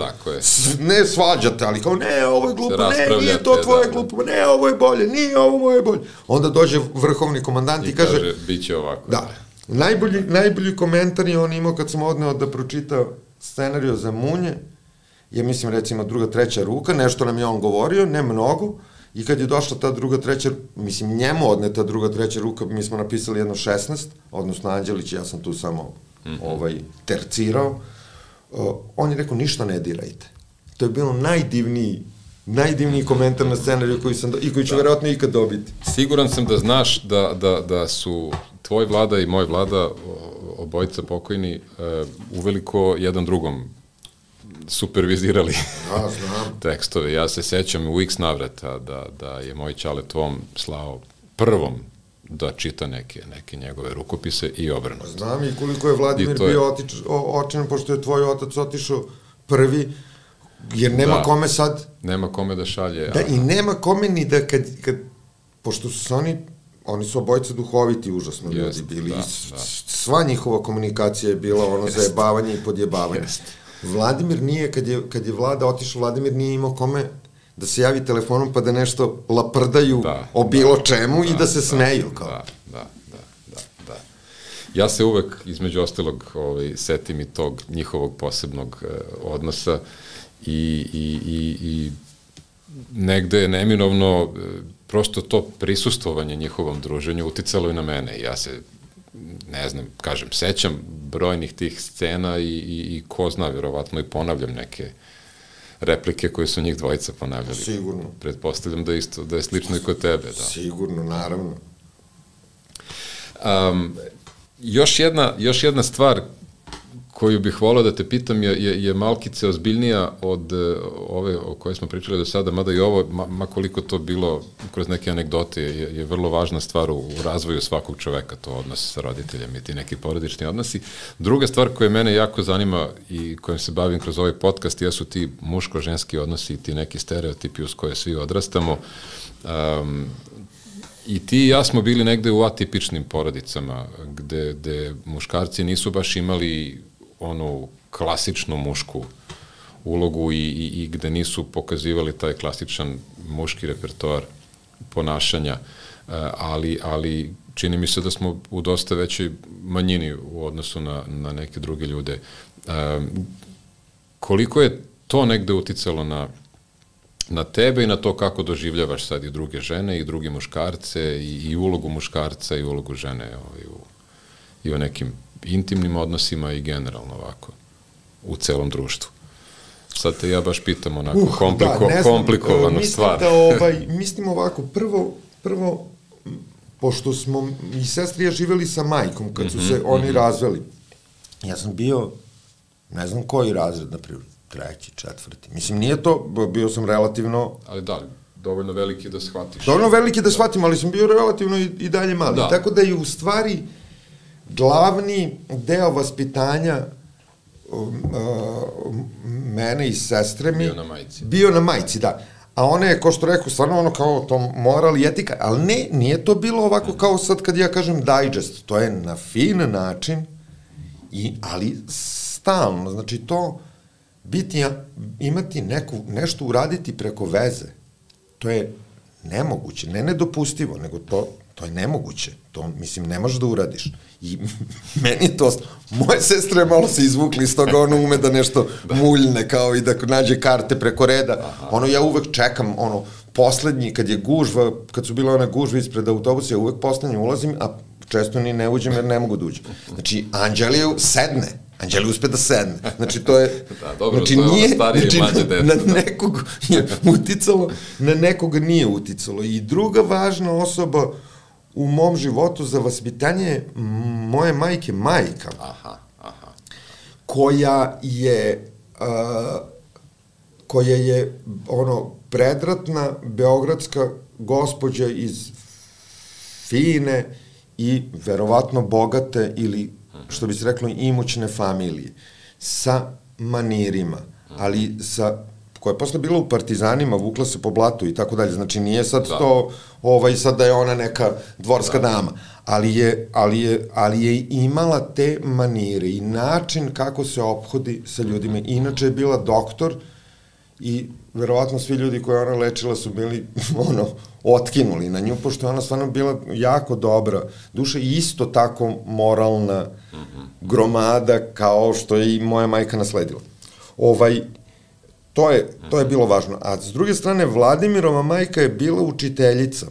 ne svađate, ali kao, ne, ovo je glupo, ne, nije to tvoje da, glupo, ne, ovo je bolje, nije ovo moje bolje. Onda dođe vrhovni komandant i, i kaže, kaže, bit će ovako. Da, najbolji, najbolji komentar je on imao kad sam odneo da pročita scenariju za Munje, je, mislim, recimo, druga, treća ruka, nešto nam je on govorio, ne mnogo, i kad je došla ta druga, treća, mislim, njemu odneta druga, treća ruka, mi smo napisali jedno šesnaest, odnosno Anđelić, ja sam tu samo Mm-hmm. ovaj, tercirao, uh, on je rekao, ništa ne dirajte. To je bilo najdivniji, najdivniji komentar na scenariju koji sam, do, i koji ću da. verovatno ikad dobiti. Siguran sam da znaš da, da, da su tvoj Vlada i moj Vlada, obojica pokojni, uh, uveliko jedan drugom supervizirali da, znam. tekstove. Ja se sećam u x navrata da, da je moj ćale tvom slao prvom da čita neke, neke njegove rukopise i obrnuto. Znam i koliko je Vladimir bio je... otič, o, očin, pošto je tvoj otac otišao prvi, jer nema da, kome sad... Nema kome da šalje. Da, a... i nema kome ni da kad, kad pošto su oni, oni su obojice duhoviti, užasno Jest, ljudi bili, da, i da. sva njihova komunikacija je bila ono Jest. zajebavanje i podjebavanje. Jest. Vladimir nije, kad je, kad je Vlada otišao, Vladimir nije imao kome da se javi telefonom pa da nešto laprdaju da, o bilo da, čemu da, i da se da, smeju. Kao. Da, da, da, da, da. Ja se uvek, između ostalog, ovaj, setim i tog njihovog posebnog eh, odnosa i, i, i, i negde je neminovno eh, prosto to prisustvovanje njihovom druženju uticalo i na mene. Ja se, ne znam, kažem, sećam brojnih tih scena i, i, i ko zna, vjerovatno i ponavljam neke replike koje su njih dvojica ponavljali. Sigurno. Pretpostavljam da, isto, da je slično i kod tebe. Da. Sigurno, naravno. Um, još, jedna, još jedna stvar koju bih volao da te pitam je, je, je malkice ozbiljnija od uh, ove o kojoj smo pričali do sada, mada i ovo, ma, ma koliko to bilo kroz neke anegdote, je, je vrlo važna stvar u, u razvoju svakog čoveka, to odnos sa roditeljem i ti neki porodični odnosi. Druga stvar koja mene jako zanima i kojom se bavim kroz ovaj podcast jesu ti muško-ženski odnosi i ti neki stereotipi uz koje svi odrastamo. Um, I ti i ja smo bili negde u atipičnim porodicama, gde, gde muškarci nisu baš imali onu klasičnu mušku ulogu i, i, i gde nisu pokazivali taj klasičan muški repertoar ponašanja, ali, ali čini mi se da smo u dosta većoj manjini u odnosu na, na neke druge ljude. Koliko je to negde uticalo na na tebe i na to kako doživljavaš sad i druge žene i druge muškarce i, i ulogu muškarca i ulogu žene i u, i u nekim intimnim odnosima i generalno ovako u celom društvu. Sad te ja baš pitam onako uh, kompliko, da, komplikovanu mislim stvar. Da, ovaj, mislim ovako, prvo, prvo, pošto smo i sestri ja živeli sa majkom kad su se mm-hmm, oni mm-hmm. razveli, ja sam bio ne znam koji razred, na primjer, treći, četvrti. Mislim, nije to, bio sam relativno... Ali da, dovoljno veliki da shvatiš. Dovoljno veliki da shvatim, ali sam bio relativno i, i dalje mali. Da. Tako da je u stvari glavni deo vaspitanja um, uh, mene i sestre mi... Bio na majici. Bio na majici, da. A ona je, ko što rekao, stvarno ono kao to moral i etika, ali ne, nije to bilo ovako kao sad kad ja kažem digest, to je na fin način, i, ali stalno, znači to biti, imati neku, nešto uraditi preko veze, to je nemoguće, ne nedopustivo, nego to, to je nemoguće, to, mislim, ne možeš da uradiš. I meni je to, moje sestre malo se izvukli iz toga, ono ume da nešto da. muljne, kao i da nađe karte preko reda. Aha. Ono, ja uvek čekam, ono, poslednji, kad je gužva, kad su bile one gužve ispred autobusa, ja uvek poslednji ulazim, a često ni ne uđem jer ne mogu da uđem. Znači, Anđelija sedne, Anđelija uspe da sedne. Znači, to je... Da, dobro, znači, to je nije, ono starije znači, i mlađe dete. Na, na nekog je uticalo, na nekoga nije uticalo. I druga važna osoba u mom životu za vaspitanje je moje majke majka. Aha, aha. Koja je, uh, koja je, ono, predratna beogradska gospođa iz fine i verovatno bogate ili, što bi se reklo, imućne familije, sa manirima, ali sa, koja je posle bila u Partizanima, vukla se po blatu i tako dalje, znači nije sad da. to, ovaj, sad da je ona neka dvorska da. dama, ali je, ali, je, ali je imala te manire i način kako se ophodi sa ljudima. Inače je bila doktor i verovatno svi ljudi koje ona lečila su bili, ono, otkinuli na nju, pošto je ona stvarno bila jako dobra duša i isto tako moralna gromada kao što je i moja majka nasledila. Ovaj, to je, to je bilo važno. A s druge strane, Vladimirova majka je bila učiteljica.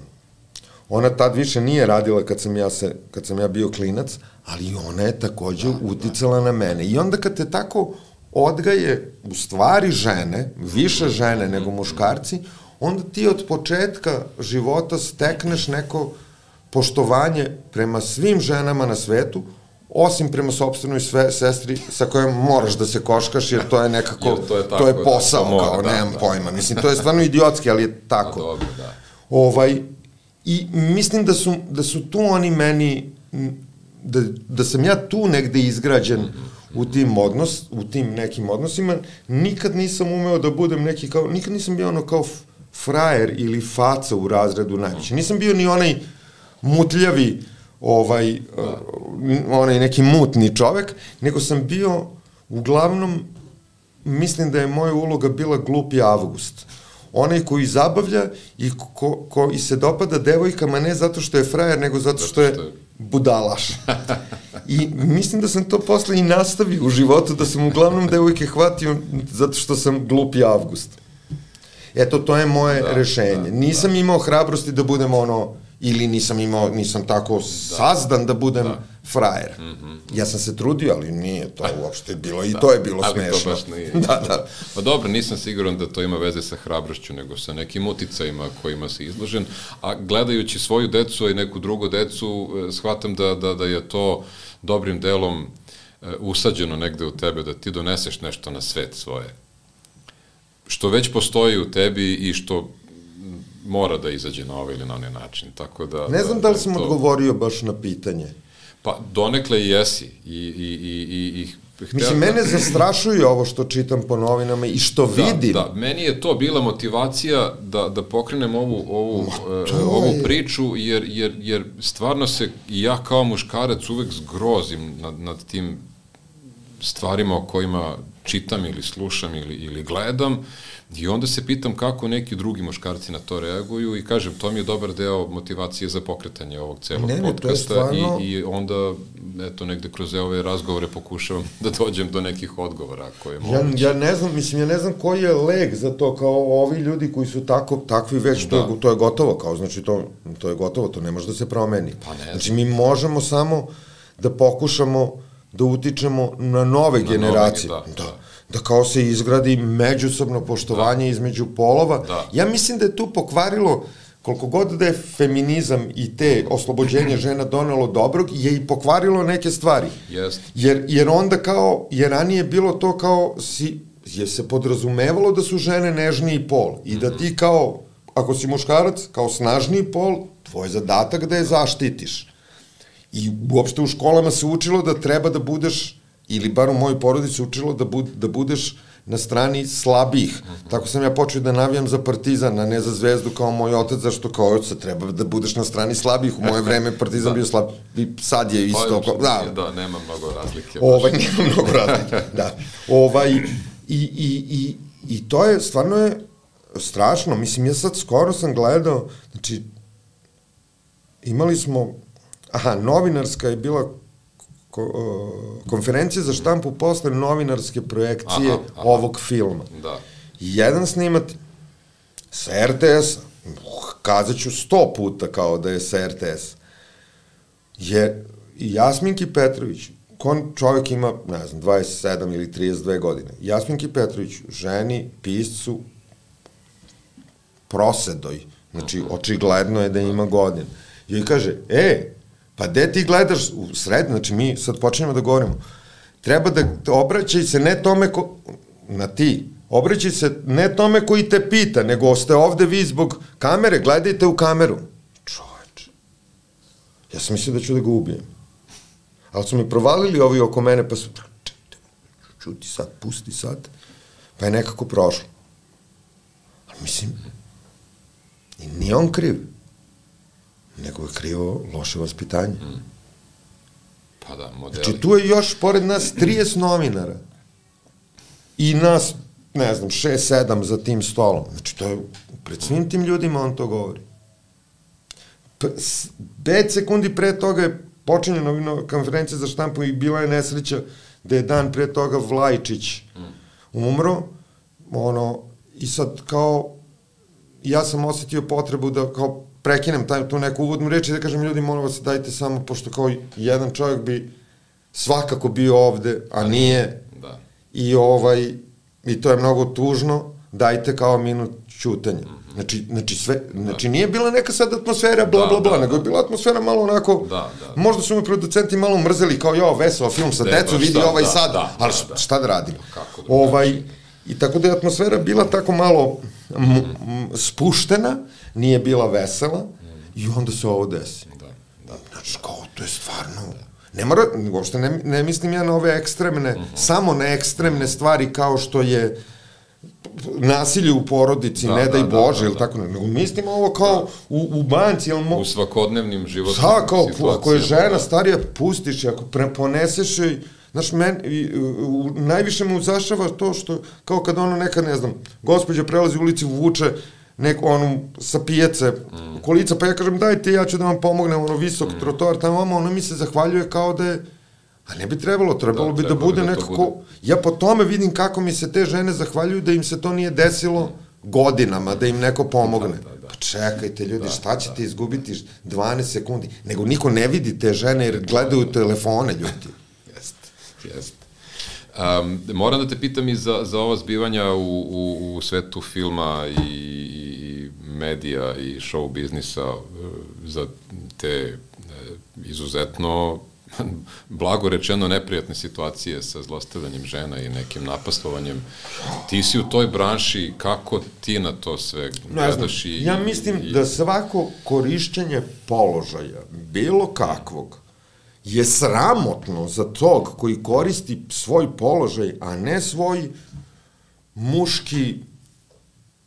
Ona tad više nije radila kad sam ja, se, kad sam ja bio klinac, ali ona je takođe uticala na mene. I onda kad te tako odgaje u stvari žene, više žene nego muškarci, onda ti od početka života stekneš neko poštovanje prema svim ženama na svetu, osim prema sopstvenoj sve, sestri sa kojom moraš da se koškaš, jer to je nekako, to je, tako, to je posao, da, kao, da, nemam da, pojma. Mislim, to je stvarno idiotski, ali je tako. Da, dobro, da. Ovaj, i mislim da su, da su tu oni meni, da, da sam ja tu negde izgrađen u tim odnos, u tim nekim odnosima, nikad nisam umeo da budem neki kao, nikad nisam bio ono kao frajer ili faca u razredu najveće. Nisam bio ni onaj mutljavi, ovaj, uh, onaj neki mutni čovek, nego sam bio, uglavnom, mislim da je moja uloga bila glupi Avgust. Onaj koji zabavlja i ko, ko i se dopada devojkama ne zato što je frajer, nego zato što je budalaš. I mislim da sam to posle i nastavio u životu, da sam uglavnom devojke hvatio zato što sam glupi Avgust. Eto, to je moje da, rešenje. Da, nisam da. imao hrabrosti da budem ono, ili nisam imao, nisam tako da. sazdan da budem da. frajer. Mm -hmm. Ja sam se trudio, ali nije to uopšte bilo, i da. to je bilo ali smešno. Ali to baš nije. da, da. Pa dobro, nisam siguran da to ima veze sa hrabrošću, nego sa nekim uticajima kojima si izložen, a gledajući svoju decu i neku drugu decu, shvatam da, da, da je to dobrim delom usađeno negde u tebe, da ti doneseš nešto na svet svoje, što već postoji u tebi i što mora da izađe na ovaj ili na onaj način. Tako da, ne znam da, da li sam to odgovorio baš na pitanje. Pa, donekle i jesi. I, i, i, i, i Mislim, mene zastrašuje ovo što čitam po novinama i što da, vidim. Da, meni je to bila motivacija da, da pokrenem ovu, ovu, uh, ovu priču, jer, jer, jer stvarno se i ja kao muškarac uvek zgrozim nad, nad tim stvarima o kojima čitam ili slušam ili, ili gledam, i onda se pitam kako neki drugi muškarci na to reaguju i kažem, to mi je dobar deo motivacije za pokretanje ovog celog ne, ne, podcasta stvarno... i, i onda, eto, negde kroz ove razgovore pokušavam da dođem do nekih odgovora koje je moguće. Ja, ja ne znam, mislim, ja ne znam koji je leg za to, kao ovi ljudi koji su tako, takvi već, da. to, to je gotovo, kao, znači, to, to je gotovo, to ne može da se promeni. Pa ne znači, mi možemo samo da pokušamo da utičemo na nove na generacije. Nove, da, da. Da kao se izgradi međusobno poštovanje da. između polova. Da. Ja mislim da je tu pokvarilo koliko god da je feminizam i te oslobođenje žena donelo dobrog, je i pokvarilo neke stvari. Yes. Jer, jer onda kao, jer ranije bilo to kao, si, je se podrazumevalo da su žene nežniji pol i da ti kao, ako si muškarac, kao snažniji pol, tvoj zadatak da je zaštitiš. I uopšte u školama se učilo da treba da budeš, ili bar u mojoj porodici učilo da, bud, da budeš na strani slabijih. Mm-hmm. Tako sam ja počeo da navijam za Partizan, a ne za Zvezdu kao moj otac, zašto kao oca treba da budeš na strani slabijih. U moje vreme Partizan da. bio slab, i sad je isto. Pa, da. da, nema mnogo razlike. Ovaj, nema mnogo razlike, da. Ovaj, i, i, i, I to je, stvarno je strašno. Mislim, ja sad skoro sam gledao, znači, imali smo, aha, novinarska je bila ko, uh, konferencija za štampu posle novinarske projekcije aha, aha. ovog filma. Da. Jedan snimat sa er te esa, kazat ću sto puta kao da je sa er te esa, je Jasminki Petrović, kon čovjek ima, ne znam, dvadeset sedam ili trideset dve godine, Jasminki Petrović, ženi, piscu, prosedoj, znači, očigledno je da ima godin. I kaže, e, pa gde ti gledaš u sred, znači mi sad počinjemo da govorimo, treba da obraćaj se ne tome ko, na ti, obraćaj se ne tome koji te pita, nego ste ovde vi zbog kamere, gledajte u kameru. Čoveče, ja sam mislio da ću da ga ubijem. Ali su mi provalili ovi oko mene, pa su, čuti sad, pusti sad, pa je nekako prošlo. Ali mislim, i nije on kriv, nego je krivo loše vaspitanje. Mm. Pa da, modeli. Znači, tu je još, pored nas, trideset novinara. I nas, ne znam, šest, sedam za tim stolom. Znači, to je, pred svim tim ljudima on to govori. Pet sekundi pre toga je počinje novina konferencija za štampu i bila je nesreća da je dan pre toga Vlajčić umro, ono, i sad kao, ja sam osetio potrebu da kao prekinem taj, tu neku uvodnu reč i da kažem ljudi, molim vas, dajte samo, pošto kao jedan čovjek bi svakako bio ovde, a nije, da. I ovaj, i to je mnogo tužno, dajte kao minut ćutanja. Znači, znači, sve, znači nije bila neka sad atmosfera bla bla bla, nego je bila atmosfera malo onako, da, da. Možda su me producenti malo mrzeli kao jo, veseo film sa decu, vidi ovaj sad, da, ali da, šta da radim? Kako da ovaj, I tako da je atmosfera bila tako malo m, m, spuštena, nije bila vesela i onda se ovo desi. Da, da. Znači, kao, to je stvarno... Ne mora, uopšte ne, ne mislim ja na ove ekstremne, uh-huh. samo na ekstremne stvari kao što je nasilje u porodici, da, ne daj da, Bože, ili da, da. tako, nego mislim ovo kao da. u, u banci, ili mo... u svakodnevnim životnim da, kao, situacijama. Ako je žena da. starija, pustiš je, ako pre, poneseš joj, znaš, men, i, u, najviše me uzašava to što, kao kad ono neka, ne znam, gospođa prelazi u ulici, vuče neku, onu, sa pijace, mm. kolica, pa ja kažem, dajte, ja ću da vam pomognem, ono, visok mm. trotoar, tamo, ono, ona mi se zahvaljuje kao da je, a ne bi trebalo, trebalo da, bi da bude da nekako, bude. Ja po tome vidim kako mi se te žene zahvaljuju da im se to nije desilo mm. godinama, da im neko pomogne. Da, da, da. Pa čekajte, ljudi, da, šta ćete da. izgubiti dvanaest sekundi? Nego niko ne vidi te žene jer gledaju telefone, ljudi. Jeste, jeste. Um, moram da te pitam i za, za ova zbivanja u, u, u svetu filma i, i medija i show biznisa, za te izuzetno, blago rečeno, neprijatne situacije sa zlostavljanjem žena i nekim napastovanjem. Ti si u toj branši, kako ti na to sve gledaš? I, ja mislim i... da svako korišćenje položaja, bilo kakvog, je sramotno za tog koji koristi svoj položaj, a ne svoj muški,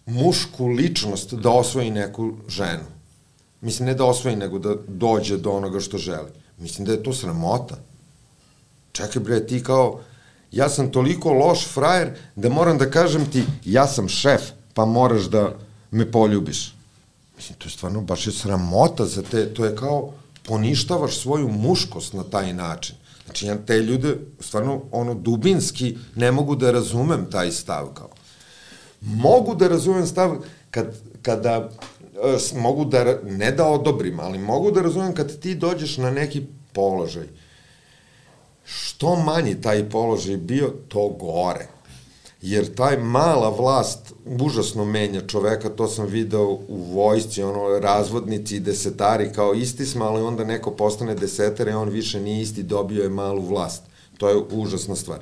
mušku ličnost da osvoji neku ženu. Mislim, ne da osvoji, nego da dođe do onoga što želi. Mislim da je to sramota. Čekaj bre, ti kao, ja sam toliko loš frajer da moram da kažem ti, ja sam šef, pa moraš da me poljubiš. Mislim, to je stvarno baš je sramota za te, to je kao, poništavaš svoju muškost na taj način. Znači, ja te ljude, stvarno, ono, dubinski ne mogu da razumem taj stav, kao. Mogu da razumem stav kad, kada, e, mogu da, ne da odobrim, ali mogu da razumem kad ti dođeš na neki položaj. Što manji taj položaj bio, to gore. jer taj mala vlast užasno menja čoveka, to sam video u vojsci, ono, razvodnici i desetari kao isti smo, ali onda neko postane desetar i on više nije isti, dobio je malu vlast. To je užasna stvar.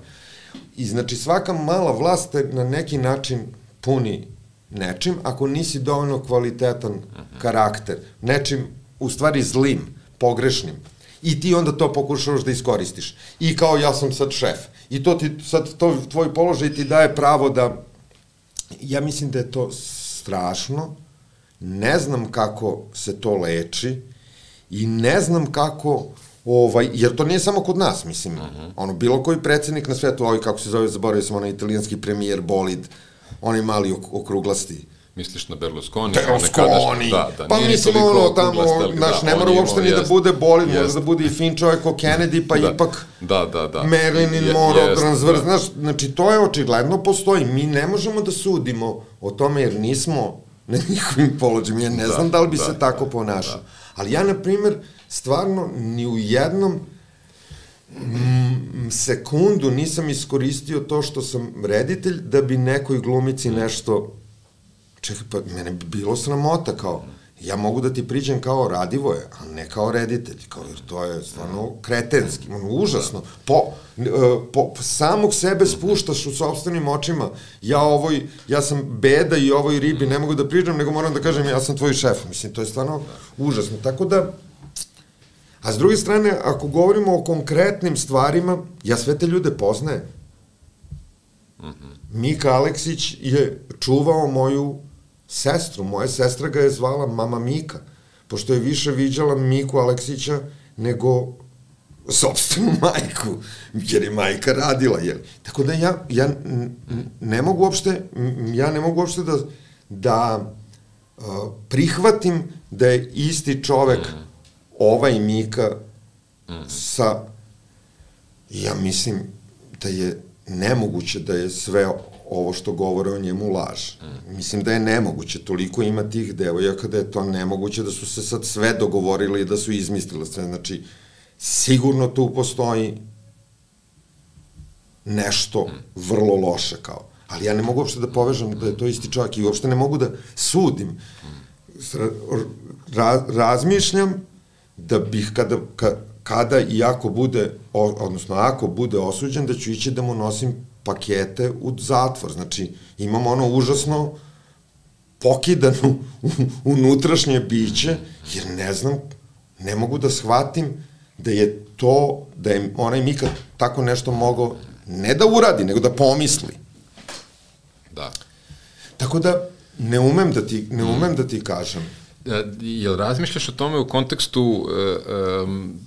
I znači svaka mala vlast te na neki način puni nečim, ako nisi dovoljno kvalitetan karakter, nečim, u stvari zlim, pogrešnim, i ti onda to pokušavaš da iskoristiš. I kao ja sam sad šef. I to ti, sad to, tvoj položaj ti daje pravo da, ja mislim da je to strašno, ne znam kako se to leči i ne znam kako, ovaj, jer to nije samo kod nas, mislim, uh-huh. ono, bilo koji predsednik na svetu, ovaj, kako se zove, zaboravio sam, onaj italijanski premijer Bolid, onaj mali ok okruglasti. Misliš na Berlusconi? Berlusconi! Da, da, pa mislim, ono, tamo, naš, ne mora uopšte ni da bude Bolid, može da bude i fin čovjek o Kennedy, pa ipak da, da, da. Marilyn Monroe, transvers, znaš, znači, to je očigledno postoji. Mi ne možemo da sudimo o tome, jer nismo na njihovim položajima, ja ne znam da li bi se tako ponašao. Ali ja, na primer, stvarno, ni u jednom sekundu nisam iskoristio to što sam reditelj da bi nekoj glumici nešto... Čekaj, pa mene bi bilo sramota, kao, ja mogu da ti priđem kao Radivoje, a ne kao reditelj, kao, jer to je stvarno kretenski, ono, užasno. Po, po samog sebe spuštaš u sopstvenim očima, ja ovoj, ja sam beda i ovoj ribi ne mogu da priđem, nego moram da kažem, ja sam tvoj šef, mislim, to je stvarno užasno. Tako da, a s druge strane, ako govorimo o konkretnim stvarima, ja sve te ljude poznajem. Mika Aleksić je čuvao moju sestru, moja sestra ga je zvala Mama Mika, pošto je više viđala Miku Aleksića nego sopstvenu majku, jer je majka radila, jel? Tako da ja, ja ne mogu uopšte, ja ne mogu uopšte da, da uh, prihvatim da je isti čovek ovaj Mika sa, ja mislim da je nemoguće da je sve ovo što govore o njemu laž. Mislim da je nemoguće, toliko ima tih devojaka da je to nemoguće, da su se sad sve dogovorili i da su izmislile sve. Znači, sigurno tu postoji nešto vrlo loše kao. Ali ja ne mogu uopšte da povežem da je to isti čovjek i uopšte ne mogu da sudim. Ra razmišljam da bih kada... Ka, kada i ako bude, odnosno ako bude osuđen, da ću ići da mu nosim pakete u zatvor. Znači, imam ono užasno pokidanu unutrašnje biće, jer ne znam, ne mogu da shvatim da je to, da je onaj Mika tako nešto mogao, ne da uradi, nego da pomisli. Da. Tako da, ne umem da ti, ne umem da ti kažem. Jel razmišljaš o tome u kontekstu... Um,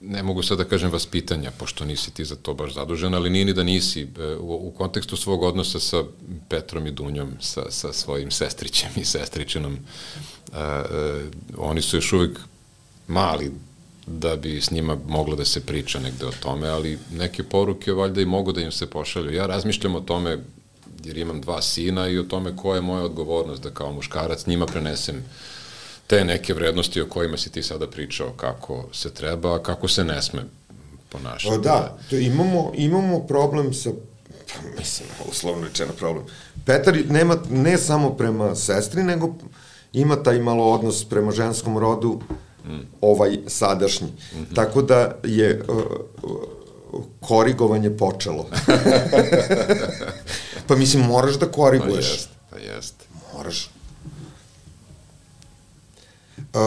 ne mogu sad da kažem vaspitanja, pošto nisi ti za to baš zadužen, ali nije ni da nisi u, u kontekstu svog odnosa sa Petrom i Dunjom, sa, sa svojim sestrićem i sestričinom. Uh, uh, oni su još uvijek mali da bi s njima moglo da se priča negde o tome, ali neke poruke valjda i mogu da im se pošalju. Ja razmišljam o tome, jer imam dva sina, i o tome koja je moja odgovornost da kao muškarac njima prenesem te neke vrednosti o kojima si ti sada pričao, kako se treba, a kako se ne sme ponašati. O, da, to imamo, imamo problem sa, pa mislim, uslovno rečeno problem. Petar nema, ne samo prema sestri, nego ima taj malo odnos prema ženskom rodu, mm. ovaj sadašnji. Mm -hmm. Tako da je uh, korigovanje počelo. Pa mislim, moraš da koriguješ. Pa jest, pa jest. Moraš. Uh,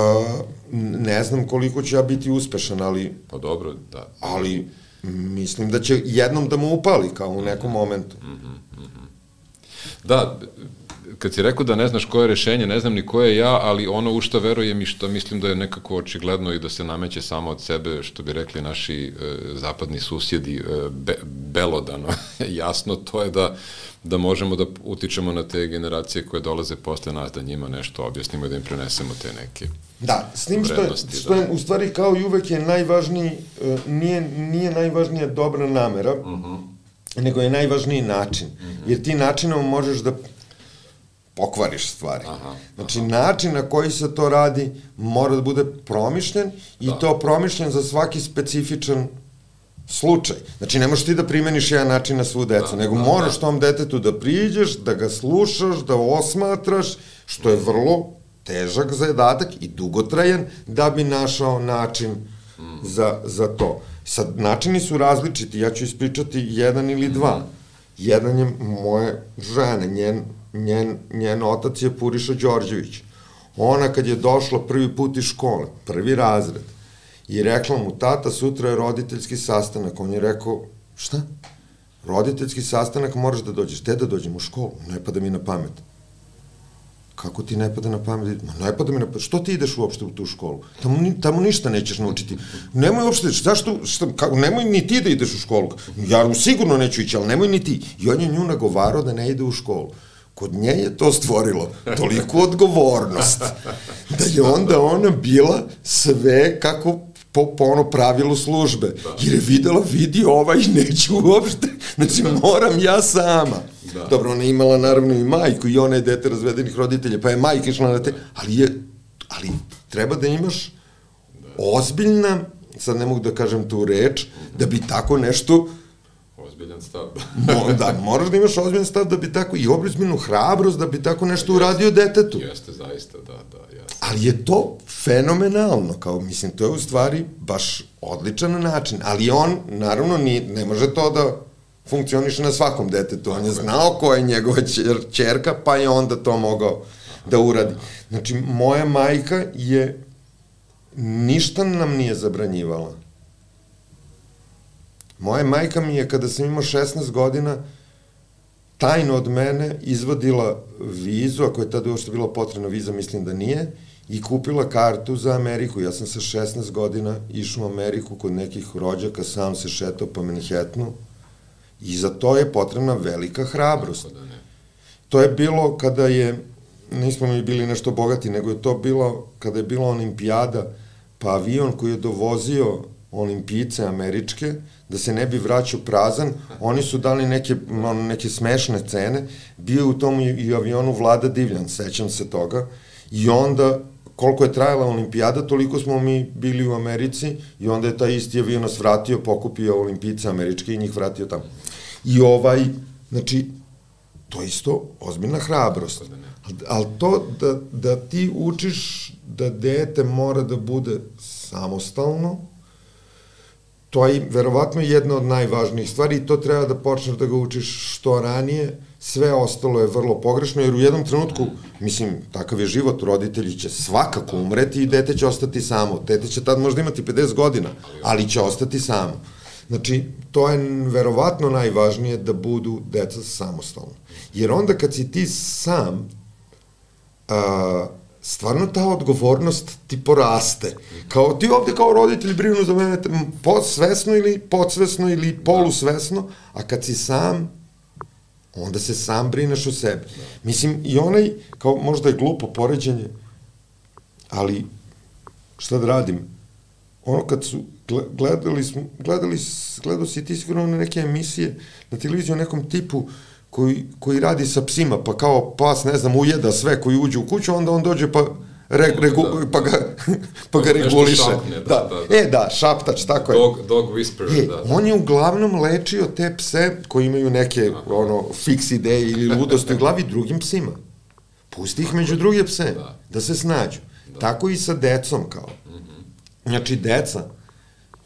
ne znam koliko ću ja biti uspešan, ali... Pa dobro, da. Ali mislim da će jednom da mu upali, kao u nekom momentu. Mm -hmm, mm -hmm. Da, kad si rekao da ne znaš koje je rešenje, ne znam ni koje je ja, ali ono u što verujem i što mislim da je nekako očigledno i da se nameće samo od sebe, što bi rekli naši e, zapadni susjedi, e, be, belodano, jasno, to je da da možemo da utičemo na te generacije koje dolaze posle nas, da njima nešto objasnimo i da im prenesemo te neke da, s tim što je, što je u stvari kao i uvek je najvažniji, nije, nije najvažnija dobra namera, uh -huh. nego je najvažniji način. Uh -huh. Jer ti načinom možeš da pokvariš stvari. Aha, znači, aha. način na koji se to radi mora da bude promišljen i da. to promišljen za svaki specifičan slučaj. Znači, ne možeš ti da primeniš jedan način na svu decu, nego moraš tom detetu da priđeš, da ga slušaš, da osmatraš, što je vrlo težak zadatak i dugotrajan, da bi našao način za, za to. Sad, načini su različiti, ja ću ispričati jedan ili dva. Jedan je moje žene, njen, njen, njen otac je Puriša Đorđević. Ona kad je došla prvi put iz škole, prvi razred, i rekla mu, tata, sutra je roditeljski sastanak. On je rekao, šta? Roditeljski sastanak moraš da dođeš. Te da dođem u školu? Ne pada mi na pamet. Kako ti ne pada na pamet? Ma ne pada mi na pamet. Što ti ideš uopšte u tu školu? Tamo, tamo ništa nećeš naučiti. Nemoj uopšte, zašto, šta, kako, nemoj ni ti da ideš u školu. Ja sigurno neću ići, ali nemoj ni ti. I on je nju nagovarao da ne ide u školu. Kod nje je to stvorilo toliku odgovornost da je onda ona bila sve kako po, po ono pravilu službe. Jer je videla, vidi ovaj, neću uopšte. Znači, moram ja sama. Da. Dobro, ona je imala naravno i majku i ona je dete razvedenih roditelja, pa je majka išla na te, ali je, ali treba da imaš ozbiljna, sad ne mogu da kažem tu reč, da bi tako nešto ozbiljan stav. Mo, da, moraš da imaš ozbiljan stav da bi tako, i ozbiljnu hrabrost da bi tako nešto uradio detetu. Jeste, zaista, da, da, jeste. Ali je to fenomenalno, kao, mislim, to je u stvari baš odličan način, ali on, naravno, ni, ne može to da funkcioniše na svakom detetu. On je znao ko je njegova ćerka, pa je onda to mogao da uradi. Znači, moja majka je ništa nam nije zabranjivala. Moja majka mi je, kada sam imao šesnaest godina, tajno od mene izvadila vizu, ako je tada uopšte bila potrebna viza, mislim da nije, i kupila kartu za Ameriku. Ja sam sa šesnaest godina išao u Ameriku kod nekih rođaka, sam se šetao po Manhattanu, i za to je potrebna velika hrabrost. To je bilo kada je, nismo mi bili nešto bogati, nego je to bilo kada je bila olimpijada, pa avion koji je dovozio olimpijice američke, da se ne bi vraćao prazan, oni su dali neke, neke smešne cene, bio u tom i avionu Vlada Divljan, sećam se toga, i onda, koliko je trajala olimpijada, toliko smo mi bili u Americi, i onda je taj isti avion nas vratio, pokupio olimpijice američke i njih vratio tamo. I ovaj, znači, to je isto ozbiljna hrabrost. Ali to da, da ti učiš da dete mora da bude samostalno, to je verovatno jedna od najvažnijih stvari i to treba da počneš da ga učiš što ranije, sve ostalo je vrlo pogrešno, jer u jednom trenutku, mislim, takav je život, roditelji će svakako umreti i dete će ostati samo. Dete će tad možda imati pedeset godina, ali će ostati samo. Znači, to je verovatno najvažnije da budu deca samostalno. Jer onda kad si ti sam, a, stvarno ta odgovornost ti poraste. Kao, ti ovde kao roditelj brinu za mene svesno ili podsvesno ili polusvesno, a kad si sam, onda se sam brineš o sebi. Mislim, i onaj, kao možda je glupo poređenje, ali šta da radim? Ono kad su, gledali smo, gledali, gledao si ti sigurno na neke emisije na televiziji o nekom tipu koji, koji radi sa psima, pa kao pas, ne znam, ujeda sve koji uđe u kuću, onda on dođe pa, re, regu, pa ga, pa ga reguliše. Šapne, da, da, da. E, da, šaptač, tako je. Dog, dog whisperer, e, da, da. On je uglavnom lečio te pse koji imaju neke, aha, ono, fiks ideje ili ludosti u glavi drugim psima. Pusti ih među druge pse, da, da se snađu. Da. Tako i sa decom, kao. Znači, deca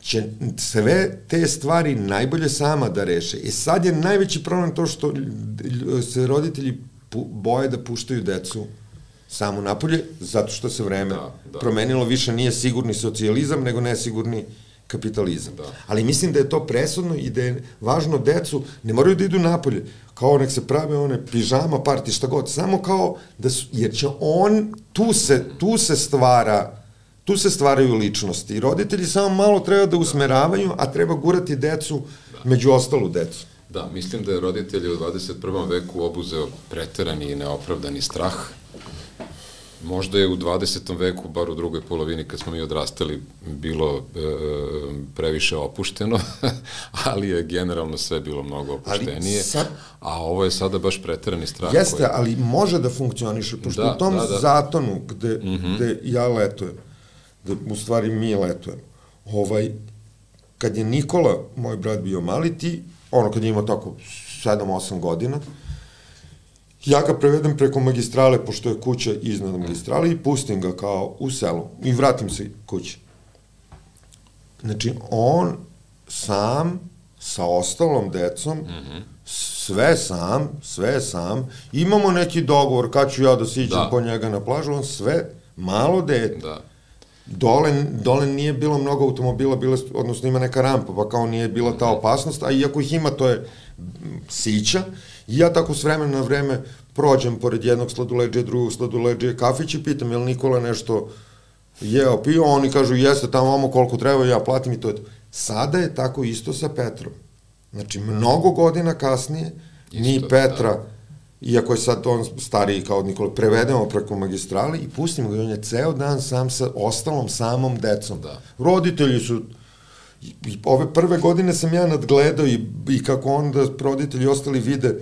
će sve te stvari najbolje sama da reše. I sad je najveći problem to što se roditelji boje da puštaju decu samo napolje, zato što se vreme da, da. promenilo, više nije sigurni socijalizam, nego nesigurni kapitalizam. Da. Ali mislim da je to presudno i da je važno decu, ne moraju da idu napolje, kao nek se prave one pižama, parti, šta god, samo kao da su, jer će on, tu se, tu se stvara Tu se stvaraju ličnosti i roditelji samo malo treba da usmeravaju, a treba gurati decu, da, među ostalu decu. Da, mislim da je roditelji u dvadeset prvom veku obuzeo preterani i neopravdani strah. Možda je u dvadesetom veku, bar u drugoj polovini kad smo mi odrastali, bilo e, previše opušteno, ali je generalno sve bilo mnogo opuštenije, sad, a ovo je sada baš preterani strah. Jeste, koji, ali može da funkcioniše, pošto da, u tom da, da. zatonu gde, mm -hmm. gde ja letujem, da u stvari mi letujemo, ovaj, kad je Nikola, moj brat, bio mali, ti, ono, kad je imao tako sedam osam godina, ja ga prevedem preko magistrale, pošto je kuća iznad magistrale, i pustim ga kao u selu i vratim se kući. Znači, on sam, sa ostalom decom, mm-hmm. sve sam, sve sam, imamo neki dogovor kad ću ja da siđem da. po njega na plažu, on sve, malo dete. Da. Dole, dole nije bilo mnogo automobila, bilo, odnosno ima neka rampa, pa kao nije bila ta opasnost, a iako ih ima, to je sića, i ja tako s vremena na vreme prođem pored jednog sladoleđe, drugog sladoleđe, kafić i pitam, je li Nikola nešto jeo, pio, oni kažu, jeste tamo vamo koliko treba, ja platim i to je to. Sada je tako isto sa Petrom. Znači, mnogo godina kasnije, isto, mi Petra, da. Iako je sad on stariji kao od Nikola, prevedemo preko magistrali i pustimo ga, on je ceo dan sam sa ostalom samom decom. Da. Roditelji su, i ove prve godine sam ja nadgledao i, i kako onda roditelji ostali vide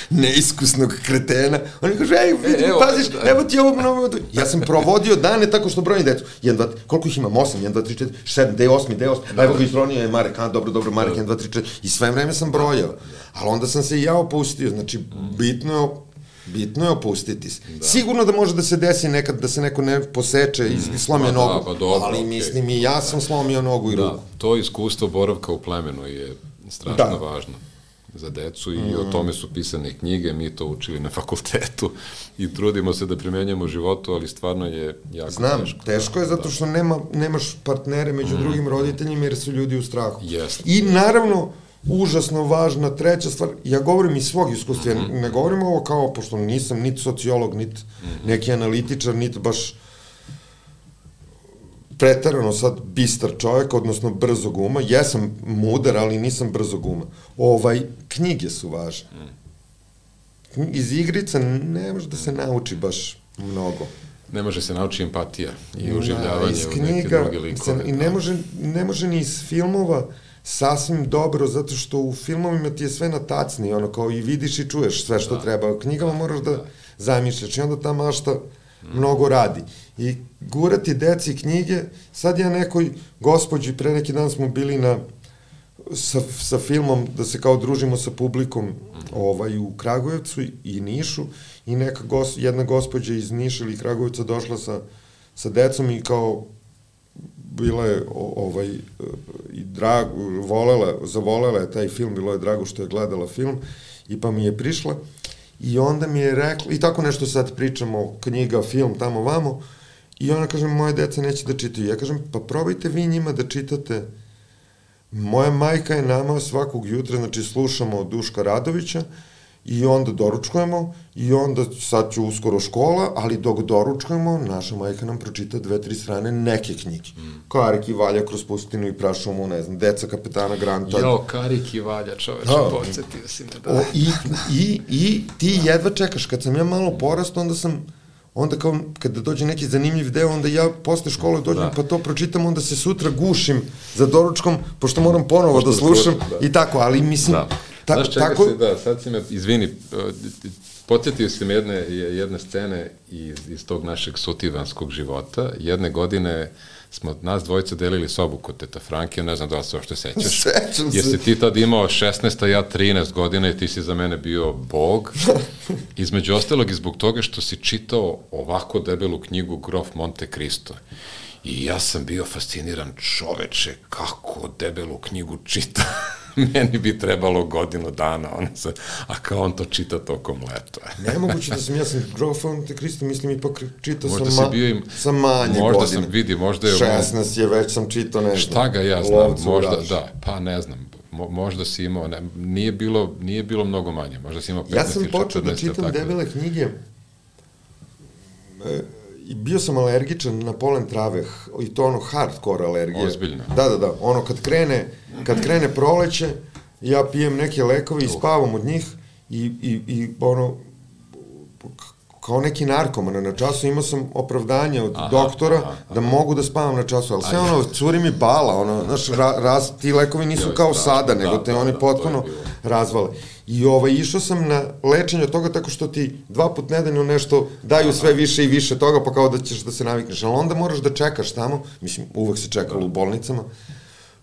neiskusnog kretena. Oni kažu, ej, vidim, e, paziš, da. Evo ti ovo mnogo. Ja sam provodio dane tako što brojim decu. jedan, dva, koliko ih imam? osam, jedan, dva, tri, četiri, sedam, de osam, de osam. Da. Evo ga izronio je Marek, a, dobro, dobro, Marek, jedan, dva, tri, četiri. I sve vreme sam brojao. Ali onda sam se i ja opustio. Znači, bitno je, bitno je opustiti se. Da. Sigurno da može da se desi nekad da se neko ne poseče i mm. slomio da, nogu. Pa dobro, ali okay. mislim i ja sam slomio nogu i da, ruku. To iskustvo boravka u plemenu je strašno da. važno za decu i mm. o tome su pisane knjige, mi to učili na fakultetu i trudimo se da primenjamo u životu, ali stvarno je jako Znam, teško. Znam, teško je zato što nema, nemaš partnere među mm. drugim roditeljima jer su ljudi u strahu. Yes. I naravno, užasno važna treća stvar, ja govorim iz svog iskustva, mm. ne govorim ovo kao, pošto nisam niti sociolog, niti mm. neki analitičar, niti baš pretarano sad bistar čovjek, odnosno brzog uma. Jesam mudar, ali nisam brzog uma. Ovaj, knjige su važne. Iz igrica ne može da se nauči baš mnogo. Ne može se nauči empatija i uživljavanje da, u neke druge likove. I ne može, ne može ni iz filmova sasvim dobro, zato što u filmovima ti je sve na tacni, ono kao i vidiš i čuješ sve što da. treba. U knjigama moraš da, da zamišljaš i onda ta mašta mnogo radi. I gurati deci knjige, sad ja nekoj gospođi, pre neki dan smo bili na, sa, sa filmom, da se kao družimo sa publikom ovaj, u Kragujevcu i Nišu, i neka gos, jedna gospođa iz Niša ili Kragujevca došla sa, sa decom i kao bila je ovaj, i drag, volela, zavolela je taj film, bilo je drago što je gledala film, i pa mi je prišla i onda mi je rekla, i tako nešto sad pričamo, knjiga, film, tamo vamo, i ona kaže, moje deca neće da čitaju. Ja kažem, pa probajte vi njima da čitate. Moja majka je nama svakog jutra, znači slušamo Duška Radovića i onda doručkujemo i onda sad ću uskoro škola, ali dok doručkujemo, naša majka nam pročita dve, tri strane neke knjige. Mm. Karik i Valja kroz pustinu i prašumu, ne znam, Deca kapetana Granta. Jo, Karik i Valja, čoveče, da. Podsjetio si me da. O, i, i, I ti jedva čekaš, kad sam ja malo porast, onda sam onda kao kada dođe neki zanimljiv deo, onda ja posle škole dođem da. pa to pročitam, onda se sutra gušim za doručkom, pošto moram ponovo pošto da slušam da. i tako, ali mislim... Da. Ta, Znaš čega tako... si, da, sad si me, izvini, podsjetio si me jedne, jedne scene iz, iz tog našeg sutivanskog života. Jedne godine smo nas dvojica delili sobu kod teta Franke, ne znam da li se ošte sećaš. Sećam se. Jesi ti tad imao šesnaest, a ja trinaest godina i ti si za mene bio bog. Između ostalog i zbog toga što si čitao ovako debelu knjigu Grof Monte Cristo. I ja sam bio fasciniran, čoveče, kako debelu knjigu čita. Meni bi trebalo godinu dana, ono se, a kao on to čita tokom leta. Nemoguće da sam, ja sam Grof Monte Cristo, mislim, ipak čitao sam, ma, im, sam manje možda godine. Možda sam vidi, možda je... šesnaest je već sam čitao, ne znam. Šta ga ja znam, možda, da, pa ne znam, mo, možda si imao, ne, nije, bilo, nije bilo mnogo manje, možda si imao petnaest ili četrnaest. Ja sam počeo da čitam tako debele knjige, e, i bio sam alergičan na polen trave, i to ono hardcore alergije. Ozbiljno. Da, da, da, ono kad krene, kad krene proleće, ja pijem neke lekove i spavam od njih i, i, i ono, kao neki narkoman na času, imao sam opravdanje od aha, doktora aha, aha. da mogu da spavam na času, ali sve Aj, ono, curi mi bala, ono, znaš, ra, raz, ti lekovi nisu kao da, sada, nego da, te da, oni da, potpuno razvale. I ovaj, išao sam na lečenje od toga tako što ti dva put nedeljno nešto daju sve više i više toga, pa kao da ćeš da se navikneš. Ali onda moraš da čekaš tamo, mislim, uvek se čekalo u bolnicama,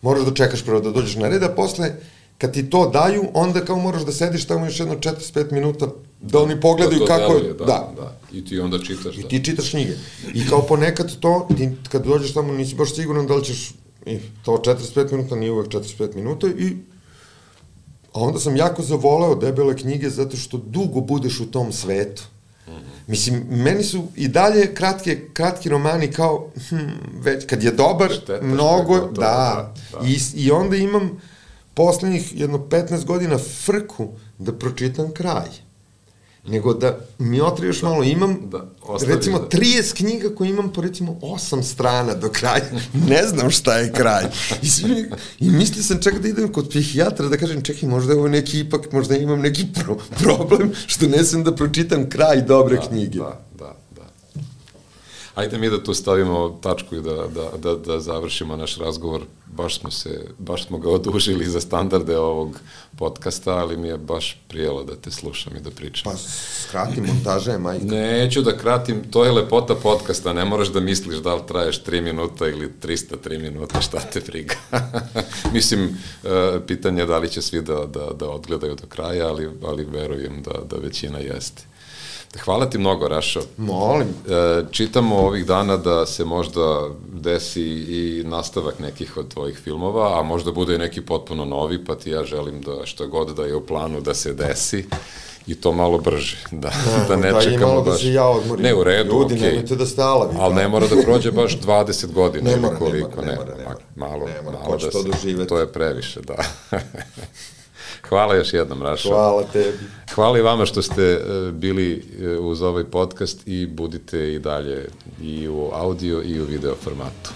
moraš da čekaš prvo da dođeš na red, a posle, kad ti to daju, onda kao moraš da sediš tamo još jedno četrdeset pet minuta, da oni pogledaju kako je, da, da, da, i ti onda čitaš, da. I ti čitaš knjige. I kao ponekad to, ti kad dođeš tamo nisi baš siguran da li ćeš, i to četrdeset pet minuta, nije uvek četrdeset pet minuta, i a onda sam jako zavoleo debele knjige zato što dugo budeš u tom svetu. Mislim, meni su i dalje kratke, kratki romani kao, hm, već, kad je dobar, Štetaš mnogo, to, da, da, da. I, i onda imam poslednjih jedno petnaest godina frku da pročitam kraj. Nego da mi otri još malo, imam, da, recimo, da. trideset knjiga koje imam po, recimo, osam strana do kraja. Ne znam šta je kraj. I, svi, i mislio sam čak da idem kod psihijatra da kažem, čekaj, možda je ovo neki, ipak, možda imam neki pro, problem što ne sam da pročitam kraj dobre da, knjige. Da, da, da. Ajde mi da tu stavimo tačku i da, da, da, da završimo naš razgovor. Baš smo se, baš smo ga odužili za standarde ovog podcasta, ali mi je baš prijelo da te slušam i da pričam. Pa skrati, montaža je majka. Neću da kratim, to je lepota podcasta, ne moraš da misliš da li traješ tri minuta ili trista tri minuta, šta te briga. Mislim, pitanje je da li će svi da, da, da odgledaju do kraja, ali, ali verujem da, da većina jeste. Hvala ti mnogo, Rašo. Molim. Čitamo ovih dana da se možda desi i nastavak nekih od tvojih filmova, a možda bude i neki potpuno novi, pa ti ja želim da što god da je u planu da se desi i to malo brže, da, da ne da čekamo malo baš. Da se ja odmorim. Ne, u redu, Ljudi, okej. nemojte da ste alavi. Ali ne mora da prođe baš dvadeset godina. Ne mora, koliko, ne mora, ne mora, ne mora. Malo, ne mora, malo da to se, doživeti. to je previše, da. Hvala još jednom, Rašo. Hvala tebi. Hvala i vama što ste bili uz ovaj podcast i budite i dalje i u audio i u video formatu.